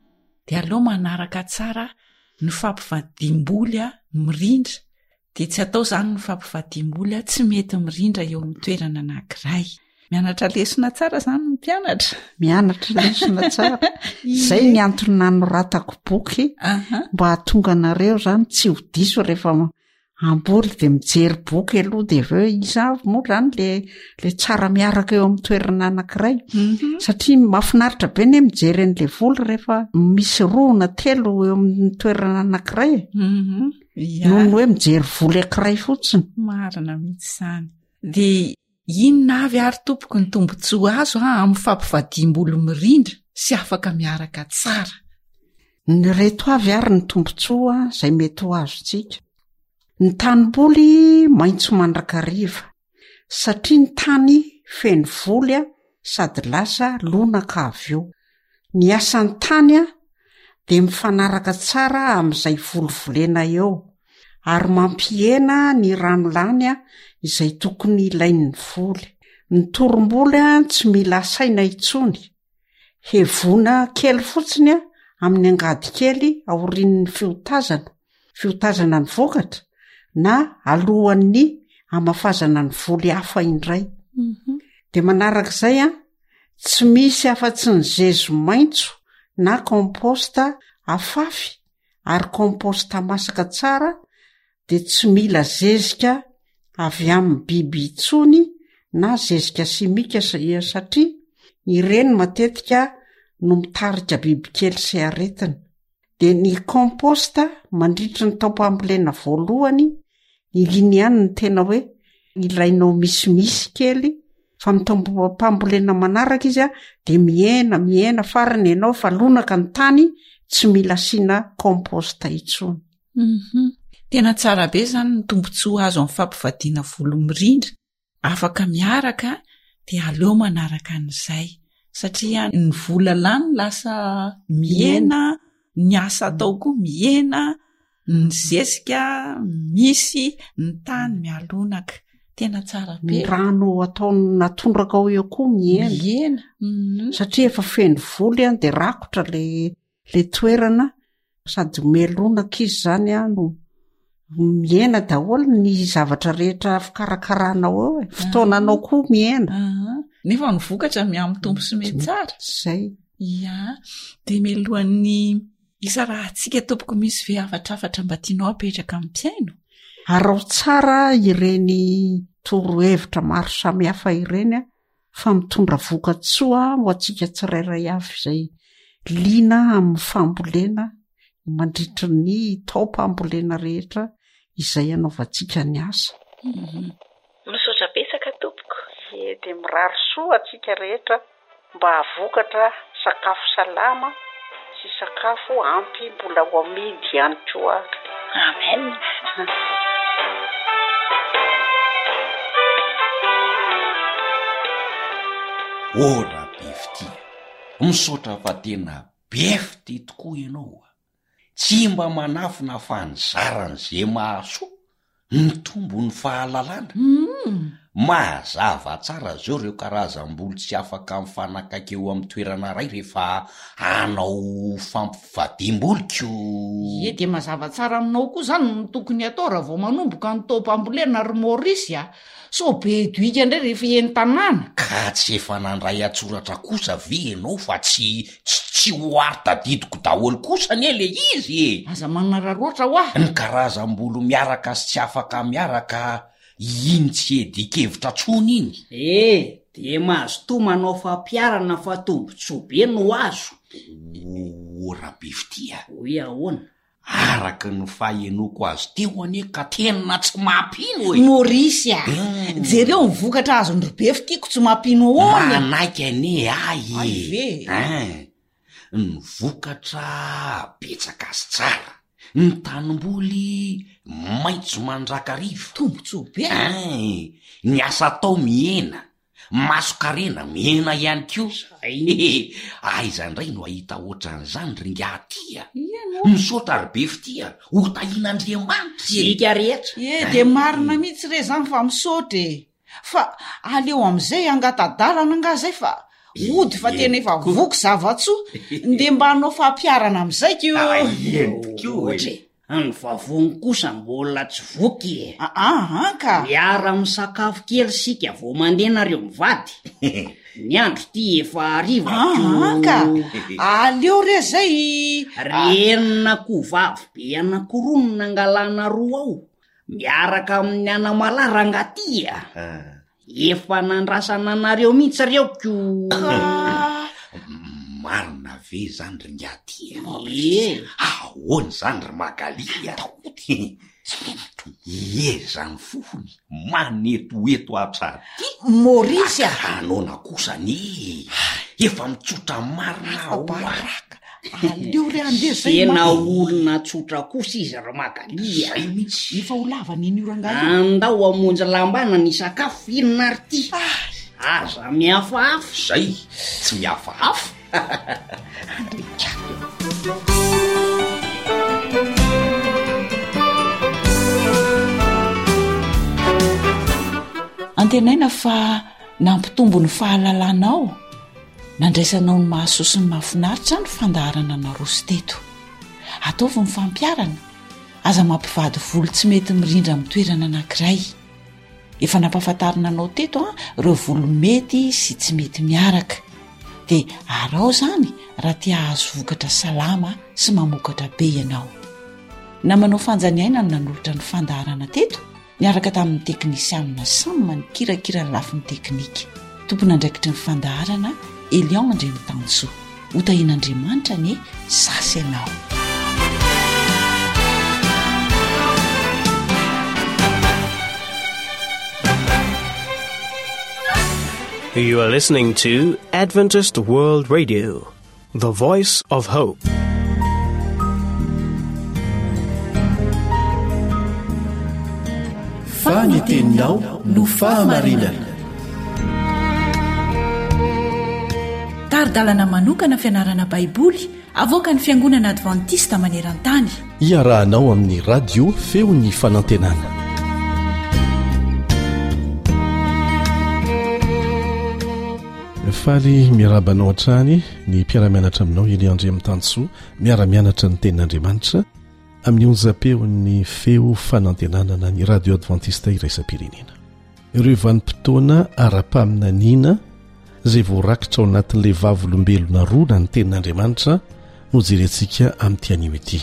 dia aleo manaraka tsara ny fampivadiam-boly mirindra, dia tsy atao izany ny fampivadiam-boly tsy mety mirindra eo amin'ny toerana anankiray. Mianatra lesona tsara izany ny mpianatra. Mianatra lesona tsara. Izay ny antony nanoratako boky mba hahatonga anareo izany tsy ho diso rehefa Hamboly de mijery boky aloha de avy eo iza avy moa zany le le tsara miaraka eo amin'ny toerana anankiray mhm. satria mahafinaritra be ne mijery an'le voly rehefa misy roa na telo eo amin'ny toerana anankiray e. mhm. Noho ny hoe mijery voly ankiray fotsiny. Marina mihitsy izany. De inona avy ary tompoko ny tombontsoa azo a amin'ny fampivadiam-bolo mirindra sy afaka miaraka tsara? Ny reto avy ary ny tombontsoa izay mety ho azontsika. Ny tanimboly maitso mandrakariva, satria ny tany feno voly sady lasa lonaka avy eo. Ny asan'ny tany dia mifanaraka tsara amin'izay voly volena eo, ary mampihena ny rano lany izay tokony ilain'ny voly. Ny torim-boly tsy mila asaina intsony. Hevoana kely fotsiny amin'ny angady kely aorian'ny fiotazana, fiotazana ny vokatra, na alohan'ny hamafazana ny voly hafa indray. Mhm. De manarak'izay an, tsy misy afa-tsy ny zezo maitso na compost afafy ary compost masaka tsara dia tsy mila zezika avy amin'ny biby intsony na zezika simika satria ireny matetika no mitarika bibikely sy aretina. Dia ny compost mandritry ny taom-pambolena voalohany, iny ihany no tena hoe ilainao misimisy kely, fa amin'ny taom-pambolena manaraka izy a, dia mihena, mihena, farany ianao fa lonaka ny tany, tsy mila asiana compost intsony. Mhm. Tena tsara be izany ny tombontsoa azo amin'ny fampivadiana volo mirindra. Afaka miaraka dia aleo manaraka an'izay satria ny vola lany lasa mihena, ny asa atao koa mihena, ny zezika misy, ny tany mialonaka. Tena tsara be. Ny rano atao natondraka ao eo koa mihena. Mihena. Mhm. Satria efa feno voly an, dia rakotra le le toerana sady melonaka izy zany an no mihena daholo ny zavatra rehetra fikarakaranao eo e, fotoananao koa mihena. Aha. Nefa ny vokatra mihamitombo sy mihatsara. Zay. Ia, dia mialohan'ny hisarahantsika tompoko misy ve hafatrafatra mba tianao apetraka amin'ny mpihaino? Araho tsara ireny torohevitra maro samihafa ireny an, fa mitondra vokatsoa ho antsika tsirairay avy izay liana amin'ny fambolena mandritry ny taom-pambolena rehetra izay anaovantsika ny asa. Misaotra betsaka tompoko. Ie dia mirary soa antsika rehetra mba hahavokatra sakafo salama sy sakafo ampy mbola ho amidy ihany koa ary. Amen. Oh Rabefitia, misaotra fa tena be fitia tokoa ianao a! Tsy mba manafina fa nizara an'izay mahasoa Mitombo ny fahalalana. Mazava tsara zao ireo karazam-bolo tsy afaka mifanakaiky eo amin'ny toerana iray rehefa hanao fampivadiam-bolo ko. Ie, dia mazava tsara aminao koa izany ny tokony hatao raha vao manomboka ny taom-pambolena ry Maurice a! Sao be doika indray rehefa eny tanàna. Ka tsy efa nandray an-tsoratra kosa ve ianao fa tsy tsy ho ary tadidiko daholo kosa anie le izy e! Aza manararaotra hoa! Ny karazam-bolo miaraka sy tsy afaka miaraka iny tsy iadian-kevitra tsony iny. E! De mazotoa manao fampiharana fa tombotsoa be no azo. O Rabefitia. Hoe ahoana? Araka ny fahenoako azy teo anie ka tena tsy mampino e! Maurice a! Jereo ny vokatra azon-dry Befy tiako tsy mampino ahoana e! Manaiky anie ahy e! Hay ve? Ein! Ny vokatra betsaka sy tsara, ny tanimboly maitso mandrakariva. Tombontsoa be! Ein! Ny asa atao mihena, Mason-karena mihena ihany koa. Hehe, aiza indray no hahita ohatran'izany ry ingahy ty a! Misaotra ry be fitia, ho tahian'Andriamanitra e! Isika rehetra. Ye, dia marina mihitsy re zany fa misaotra e! Fa aleo amin'izay hangata-dalana angaha zay fa hody fa tena efa voky zava-tsoa, ndeha mba hanao fampiharana amin'izay ko! Eny tokoa e! Ny vavony kosa mbola tsy voky e. Aa ka. Miara misakafo kely sika vao mandeha nareo mivady. Ny andro ty efa hariva ko. Aa ka. Aleo re zay. Ren'akoho vavy be anankiroa no nangalana roa ao, miaraka amin'ny anamalaho rangahy ty a. Efa nandrasana anareo mihitsy reo ko. Ka. Marina ve zany ry ingahy ty a? Ie. Ahoana izany ry Magali a? Ie zany fofony manetoeto hatraty. Maurice a! Hanaona kosa anie e! Efa mitsotra marina aho a! Afa-baraka. Aleo re handeha zay Tena manko. olona tsotra kosa izy ry Magali a! Zay mihitsy. Efa ho lava nen'io rangahy io. Andao hamonjy lambana ny sakafo inona ary ty? Aza mihafahafa. Zay, tsy mihafahafa. Antenaina fa nampitombo ny fahalalanao Nandraisanao ny mahasoa sy ny mahafinaritra ny fandaharana naroso teto. Ataovy ny fampiharana, aza mampivady volo tsy mety mirindra amin'ny toerana anankiray. Efa nampahafantarina anao teto an, ireo volo mety sy tsy mety miaraka. Dia araho izany raha te hahazo vokatra salama sy mamokatra be ianao. Namanao Fanja Niaina no nanolotra ny fandaharana teto. Niaraka tamin'ny teknisianina Sam nikirakira ny lafiny teknika. Tompon'andraikitry ny fandaharana Elion Andriamitansoa. Ho tahian'Andriamanitra anie za sy ianao. You are listening to Adventist World Radio, the voice of hope. Fa ny teninao no fahamarinana. Tari-dalana manokana fianarana Baiboly avoakan'ny Fiangonana Advantista maneran-tany. Iarahanao amin'ny Radio Feon'ny Fanantenana. Faly miarahaba anao hatrany ny mpiara-mianatra aminao Elia Andriamitansoa, miara-mianatra ny tenin'Andriamanitra amin'ny onjam-peon'ny Feo Fanantenana na ny Radio Adventista Iraisam-pirenena. Ireo vanim-potoana ara-paminaniana izay voarakitra ao anatin'ilay vavolombelona roa na ny tenin'Andriamanitra no jerentsika amin'ity anio ity.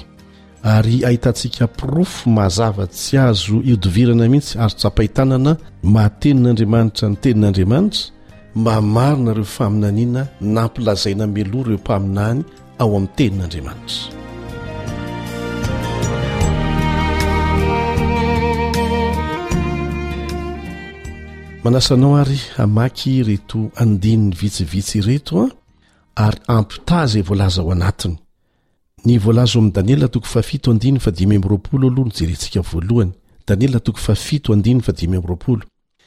Ary ahitantsika porofo mazava tsy azo ihodivirana mihitsy, azo tsapain-tanana maha tenin'Andriamanitra ny tenin'Andriamanitra, mahamarina ireo faminaniana nampilazaina mialoha ireo mpaminany ao amin'ny tenin'Andriamanitra. Manasa anao ary hamaky ireto andininy vitsivitsy ireto an, ary ampitaha izay voalaza ao anatiny. Ny voalaza ao amin'ny Daniela toko fahafito andininy fahadimy amby roapolo aloha no jerentsika voalohany. Daniela toko fahafito andininy fahadimy amby roapolo.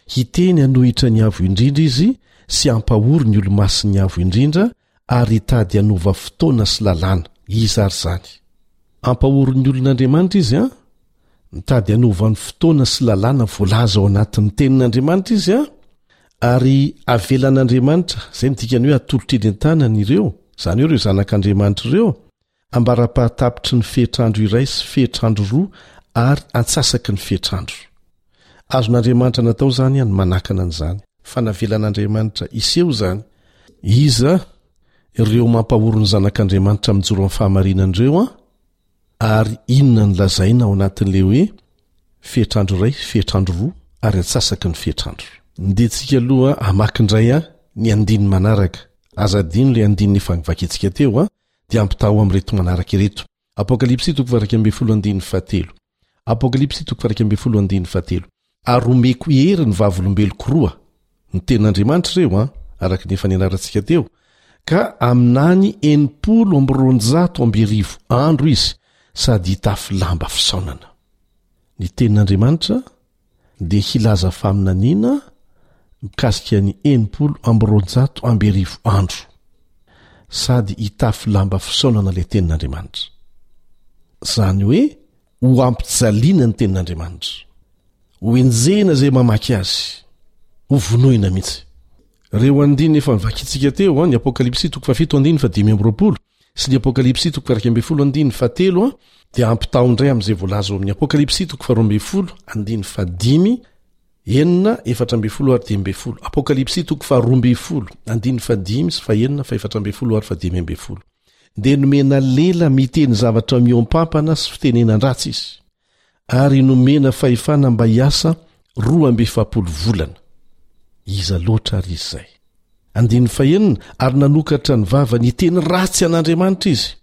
Hiteny hanohitra ny Avo Indrindra izy sy hampahory ny olo-masin'ny Avo Indrindra ary hitady hanova fotoana sy lalàna. Iza ary izany? Hampahory ny olon'Andriamanitra izy an? Mitady hanova ny fotoana sy lalàna voalaza ao anatin'ny tenin'Andriamanitra izy an? Ary avelan'Andriamanitra, izay no dikany hoe atolotra eny an-tanany ireo, izany hoe ireo zanak'Andriamanitra ireo, ambara-pahatapitry ny fetr'andro iray sy fetr'andro roa ary antsasaky ny fetr'andro. Azon'Andriamanitra natao izany ny manakana an'izany, fa navelan'Andriamanitra hiseho izany. Iza ireo mampahory ny zanak'Andriamanitra mijoro amin'ny fahamarinana ireo an? Ary inona no lazaina ao anatin'ilay hoe fetr'andro iray, fetr'andro roa ary antsasaky ny fetr'andro? Ndeha tsika aloha hamaky indray an ny andininy manaraka. Aza adino ilay andininy efa novakintsika teo an, dia ampitaho amin'ireto manaraka ireto. Apokalypsy toko faha-iraika ambin'ny folo andininy fahatelo. Apokalypsy toko faha-iraika ambin'ny folo andininy fahatelo. Ary omeko hery ny vavolombeloko roa, ny tenin'Andriamanitra ireo an, araka ny efa nianarantsika teo, ka aminany enimpolo amby roanjato amby arivo andro izy sady hitafy lamba fisaonana. Ny tenin'Andriamanitra dia hilaza faminaniana mikasika ny enimpolo amby roanjato amby arivo andro sady hitafy lamba fisaonana ilay tenin'Andriamanitra. Izany hoe ho ampijaliana ny tenin'Andriamanitra, ho enjehina izay mamaky azy, ho vonoina mihitsy. Ireo andininy efa novakintsika teo, ny Apokalypsy toko fahafito andininy fahadimy amby roapolo sy ny Apokalypsy toko faha-iraika ambin'ny folo andininy fahatelo dia ampitaho indray amin'izay voalaza ao amin'ny Apokalypsy toko faharoa ambin'ny folo andininy fahadimy, enina, efatra ambin'ny folo ary dimy ambin'ny folo. Apokalypsy toko faharoa ambin'ny folo andininy fahadimy sy fahenina, fahefatra ambin'ny folo ary fahadimy ambin'ny folo. Dia nomena lela miteny zavatra mihoampampana sy fitenenan-dratsy izy, ary nomena fahefana mba hiasa roa amby efapolo volana. Iza loatra ary izy izay? Andininy fahenina, ary nanokatra ny vavany hiteny ratsy an'Andriamanitra izy,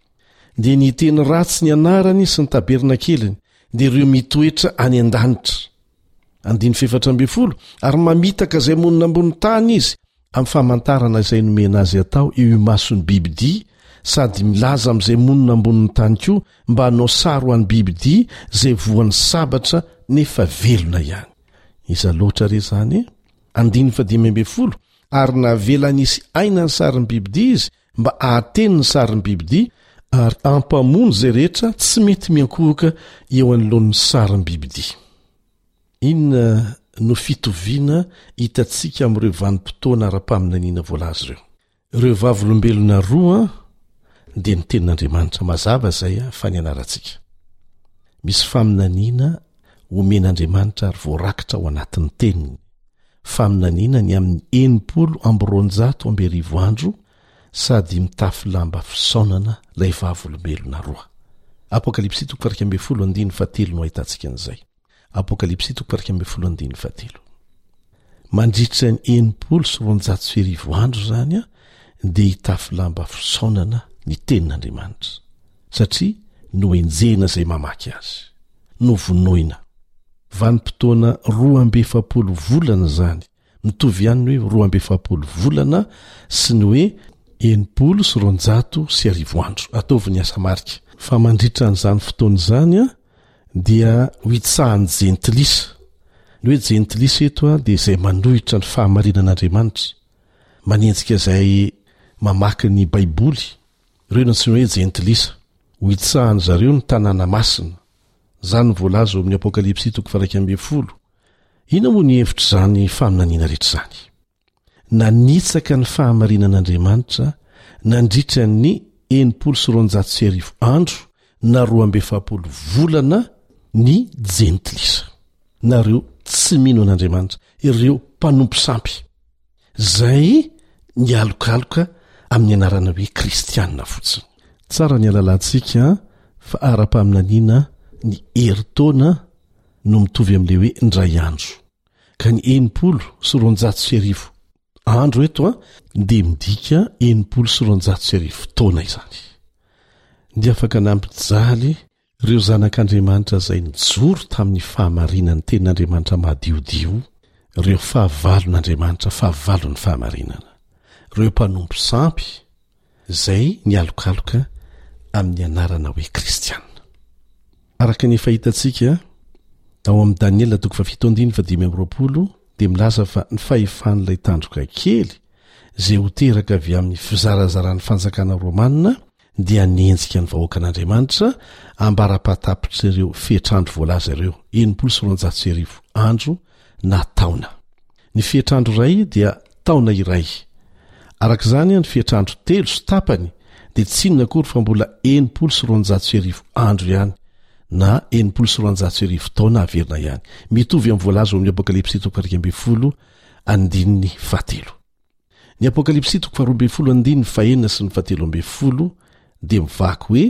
dia ny hiteny ratsy ny anarany sy ny tabernakeliny, dia ireo mitoetra any an-danitra. Andininy fahefatra ambin'ny folo, ary mamitaka izay monina ambony tany izy, amin'ny famantarana izay nomena azy atao eo imason'ny bibidia, sady milaza amin'izay monina ambonin'ny tany koa mba hanao sary ho an'ny bibidia izay voan'ny sabatra nefa velona ihany. Iza loatra re izany e? Andininy fahadimy ambin'ny folo, ary navela nisy aina ny sarin'ny bibidia izy mba hahateny ny sarin'ny bibidia ary hampamono izay rehetra tsy mety miankohoka eo anoloan'ny sarin'ny bibidia. Inona no fitoviana hitantsika amin'ireo vanim-potoana ara-paminaniana voalaza ireo? Ireo vavolombelona roa dia ny tenin'Andriamanitra mazava izay fa ny anarantsika. Misy faminaniana omen'Andriamanitra ary voarakitra ao anatin'ny teniny. Faminaniana ny amin'ny enimpolo amby roanjato amby arivo andro sady mitafy lamba fisaonana ilay vavolombelona roa. Apokalypsy toko faha-iraika ambin'ny folo andininy fahatelo no ahitantsika an'izay. Apokalypsy toko faha-iraika ambin'ny folo andininy fahatelo. Mandritra ny enimpolo sy roanjato sy arivo andro izany dia hitafy lamba fisaonana ny tenin'Andriamanitra, satria nohenjehina izay mamaky azy, novonoina. Vanim-potoana roa amby efapolo volana izany, mitovy ihany ny hoe roa amby efapolo volana sy ny hoe enimpolo sy roanjato sy arivo andro. Ataovy ny asa marika fa mandritra an'izany fotoana izany dia ho hitsahan'ny jentilisa. Ny hoe jentilisa eto dia izay manohitra ny fahamarinan'Andriamanitra, manenjika izay mamaky ny Baiboly, ireo no antsoina hoe jentilisa. Ho hitsahan-dry zareo ny tanàna masina. Izany no voalaza ao amin'ny Apokalypsy toko faha-iraika ambin'ny folo. Inona moa ny hevitr'izany faminaniana rehetra izany? Nanitsaka ny fahamarinan'Andriamanitra nandritra ny enimpolo sy roanjato sy arivo andro na roa amby efapolo volana ny jentilisa, na ireo tsy mino an'Andriamanitra, ireo mpanompo sampy, izay nialokaloka amin'ny anarana hoe kristiana fotsiny. Tsara ny halalantsika fa ara-paminaniana ny herintaona no mitovy amin'ilay hoe indray andro, ka ny enimpolo sy roanjato sy arivo andro eto dia midika enimpolo sy roanjato sy arivo taona izany. Dia afaka nampijaly ireo zanak'Andriamanitra izay nijoro tamin'ny fahamarinan'ny tenin'Andriamanitra madiodio, ireo fahavalon'Andriamanitra, fahavalon'ny fahamarinana, ireo mpanompo sampy izay nialokaloka amin'ny anarana hoe kristiana. Araka ny efa hitantsika ao amin'ny Daniela toko fahafito andininy fahadimy amby roapolo dia milaza fa ny fahefan'ilay tandroka kely izay ho teraka avy amin'ny fizarazaran'ny fanjakana romanina dia hanenjika ny vahoakan'Andriamanitra ambara-pahatapitr'ireo fetr'andro voalaza ireo, enimpolo sy roanjato sy arivo andro na taona. Ny fetr'andro iray dia taona iray. Araka izany, ny fetr'andro telo sy tapany dia tsy inona akory fa mbola enimpolo sy roanjato sy arivo andro ihany, na enimpolo sy roanjato sy arivo taona averina ihany. Mitovy amin'ny voalaza ao amin'ny Apokalypsy toko faha-iraika ambin'ny folo andininy fahatelo. Ny Apokalypsy toko faharoa ambin'ny folo andininy fahenina sy ny fahatelo ambin'ny folo dia mivaky hoe,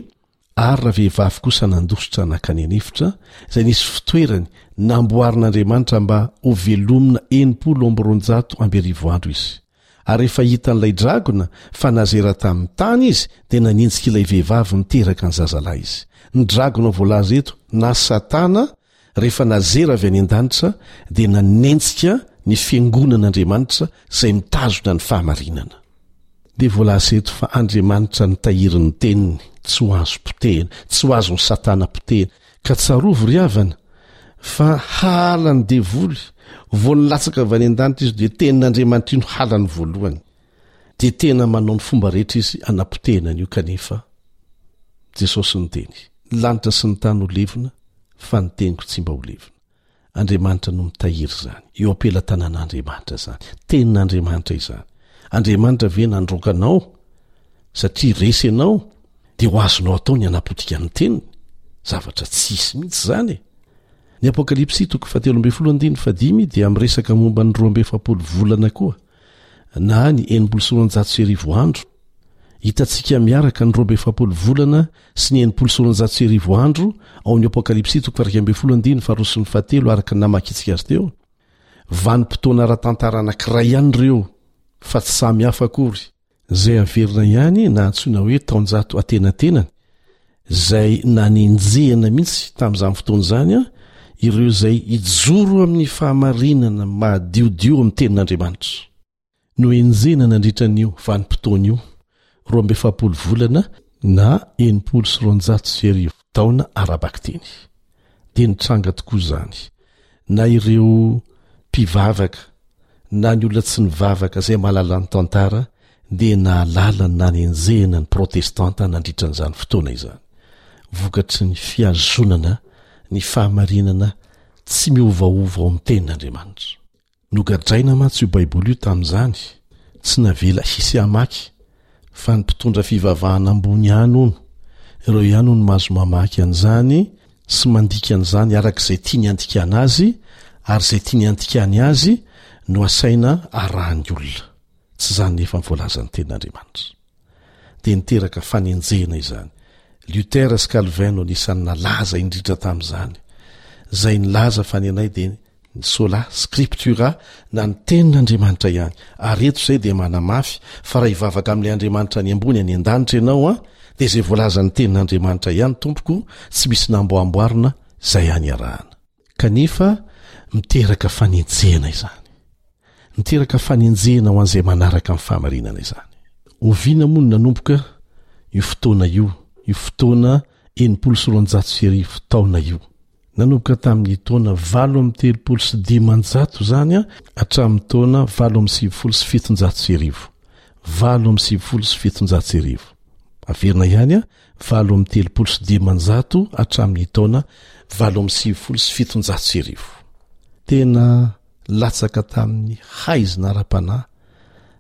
Ary ravehivavy kosa nandositra nankany an'efitra, izay nisy fitoerany namboarin'Andriamanitra mba hovelomina enimpolo amby roanjato amby arivo andro izy. Ary rehefa hitan'ilay dragona fa nazera tamin'ny tany izy, dia nanenjika ilay vehivavy niteraka ny zazalahy izy. Ny dragona voalaza eto, na Satana, Rehefa nazera avy any an-danitra dia nanenjika ny fiangonan'Andriamanitra izay mitazona ny fahamarinana. Dia voalaza eto fa Andriamanitra nitahiry ny teniny, tsy ho azo potehina, tsy ho azon'i Satana potehina. Ka tsarovy ry havana fa halan'ny devoly, vao nilatsaka avy any an-danitra izy dia tenin'Andriamanitra io no halany voalohany. Dia tena manao ny fomba rehetra izy hanapotehina an'io kanefa Jesosy niteny, ny lanitra sy ny tany ho levona fa ny teniko tsy mba ho levona. Andriamanitra no mitahiry izany. Eo am-pelatanan'Andriamanitra izany. Tenin'Andriamanitra izany. Andriamanitra ve nandroaka anao satria resy ianao dia ho azonao atao ny hanapotika ny teniny? Zavatra tsy hisy mihitsy izany e. Ny Apokalypsy toko fahatelo ambin'ny folo andininy fahadimy dia miresaka momba ny roa amby efapolo volana koa na ny enimpolo sy roanjato sy arivo andro. Hitantsika miaraka ny roa amby efapolo volana sy ny enimpolo sy roanjato sy arivo andro ao amin'ny Apokalypsy toko faha-iraika ambin'ny folo andininy faharoa sy ny fahatelo araka ny namakintsika azy teo. Vanim-potoana ara-tantara anankiray ihany ireo fa tsy samy hafa akory. Izay averina ihany na antsoina hoe taonjato antenatenany, izay nanenjehana mihitsy tamin'izany fotoana izany ireo izay hijoro amin'ny fahamarinana madiodio amin'ny tenin'Andriamanitra. Nohenjehina nandritra an'io vanim-potoana io, roa amby efapolo volana na enimpolo sy roanjato sy arivo taona ara-bakiteny. Dia nitranga tokoa izany. Na ireo mpivavaka na ny olona tsy nivavaka izay mahalala ny tantara dia nahalala ny nanenjehina ny protestanta nandritra an'izany fotoana izany. Vokatry ny fihazonana ny fahamarinana tsy miovaova ao amin'ny tenin'Andriamanitra. Nogadraina mantsy io Baiboly io tamin'izany, tsy navela hisy hamaky, fa ny mpitondra fivavahana ambony ihany hono, ireo ihany hono mahazo mamaky an'izany sy mandika an'izany araka izay tiany handikana azy, ary izay tiany handikany azy no asaina arahan'ny olona. Tsy izany nefa ny voalazan'ny Tenin'Andriamanitra. Dia niteraka fanenjehana izany. Luther sy Calvin no anisan'ny nalaza indrindra tamin'izany. izay nilaza fa ny anay dia ny sola scriptura na ny tenin'Andriamanitra ihany. Ary eto izay dia manamafy fa raha hivavaka amin'ilay Andriamanitra any ambony any an-danitra ianao an, dia izay voalazan'ny tenin'Andriamanitra ihany tompoko, tsy misy namboamboarina, izay ihany iarahana. Kanefa miteraka fanenjehana izany. Miteraka fanenjehana ho an'izay manaraka ny fahamarinana izany. Oviana moa no nanomboka io fotoana io, io fotoana enimpolo sy roanjato sy arivo taona io? Nanomboka tamin'ny taona valo amby telopolo sy dimanjato izany hatramin'ny taona valo amby sivifolo sy fitonjato sy arivo. Valo amby sivifolo sy fitonjato sy arivo. Averina ihany, valo amby telopolo sy dimanjato hatramin'ny taona valo amby sivifolo sy fitonjato sy arivo. Tena latsaka tamin'ny haizina ara-panahy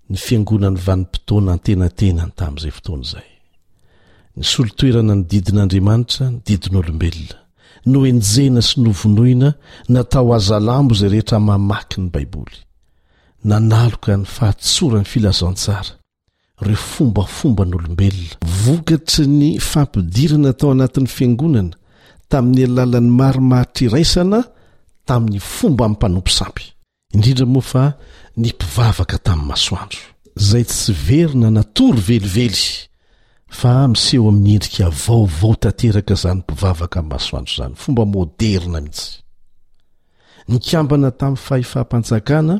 ny fiangonan'ny vanim-potoana antenatenany tamin'izay fotoana izay. Nisolo toerana ny didin'Andriamanitra ny didin'olombelona. Nohenjehina sy novonoina natao hazalambo izay rehetra mamaky ny Baiboly. Nanaloka ny fahatsoran'ny filazantsara ireo fombafomban'olombelona. Vokatry ny fampidirana tao anatin'ny fiangonana tamin'ny alalan'ny marimaritra iraisana tamin'ny fomban'ny mpanompo sampy. Indrindra moa fa ny mpivavaka tamin'ny masoandro, izay tsy very na natory velively, fa miseho amin'ny endrika vaovao tanteraka izany mpivavaka amin'ny masoandro izany, fomba moderina mihitsy. Nikambana tamin'ny fahefam-panjakana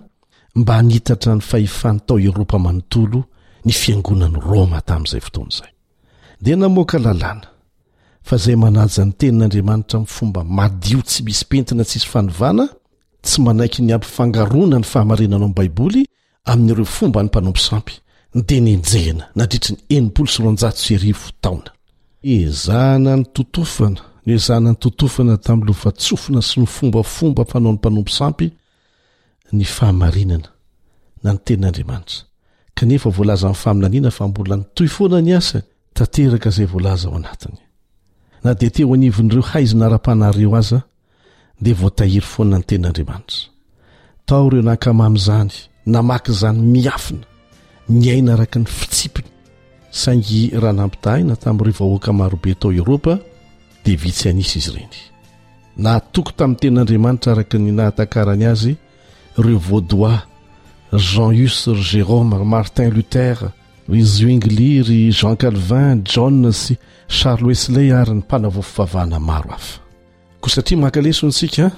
mba hanitatra ny fahefany tao Eoropa manontolo ny fiangonan'i Roma tamin'izay fotoana izay. Dia namoaka lalàna fa izay manaja ny tenin'Andriamanitra amin'ny fomba madio tsy misy pentina tsisy fanovana, tsy manaiky ny hampifangaroana ny fahamarinana ao amin'ny Baiboly amin'ireo fomban'ny mpanompo sampy, dia nenjehina nandritry ny enimpolo sy roanjato sy arivo taona. Ezahana nototofana, noezahana nototofana tamin'ny lovantsofina sy ny fombafomba fanaon'ny mpanompo sampy ny fahamarinana na ny tenin'Andriamanitra. Kanefa voalazan'ny faminaniana fa mbola nitohy foana ny asany, tanteraka izay voalaza ao anatiny. Na dia teo anivon'ireo haizina ara-panahy ireo aza, dia voatahiry foana ny tenin'Andriamanitra. Tao ireo nankamamy izany, namaky izany miafina, niaina araka ny fitsipiny. Saingy raha nampitahaina tamin'ireo vahoaka marobe tao Eoropa, dia vitsy an'isa izy ireny. Nahatoky tamin'ny tenin'Andriamanitra araka ny nahatakarany azy ireo Vaudois, ry Jean Hus, ry Jérôme, ry Martin Luther, ry Zwingli, ry Jean Calvin, John sy Charles Wesley ary ny mpanavao fivavahana maro hafa. Koa satria maka lesona isika,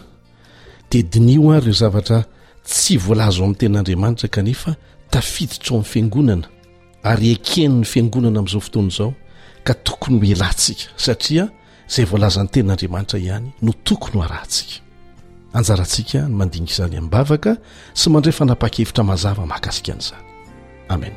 dia diniho ary ireo zavatra tsy voalaza ao amin'ny tenin'Andriamanitra kanefa tafiditra ao amin'ny fiangonana ary eken'ny fiangonana amin'izao fotoana izao ka tokony ho elantsika satria izay voalazan'ny tenin'Andriamanitra ihany no tokony ho arahantsika. Anjarantsika ny mandinika izany am-bavaka sy mandray fanapahan-kevitra mazava mahakasika an'izany. Amen.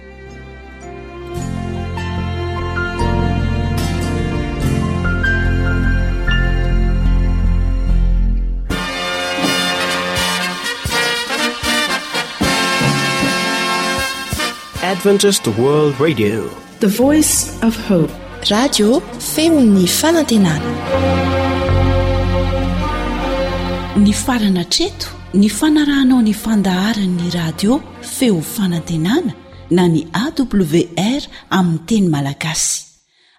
Adventist World Radio. The Voice of Hope. Radio feon'ny fanantenana. Nifarana hatreto ny fanarahanao ny fandaharan'ny radio Feo Fanantenana na ny A W R amin'ny teny malagasy.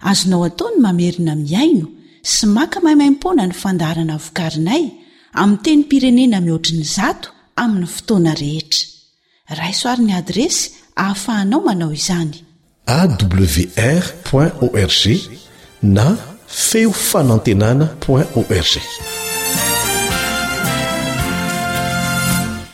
Azonao atao ny mamerina mihaino sy maka maimaimpoana ny fandaharana vokarinay amin'ny tenim-pirenena mihoatry ny zato amin'ny fotoana rehetra. Raiso ary ny adiresy ahafahanao manao izany. A W R point org na feo fanantenana point org.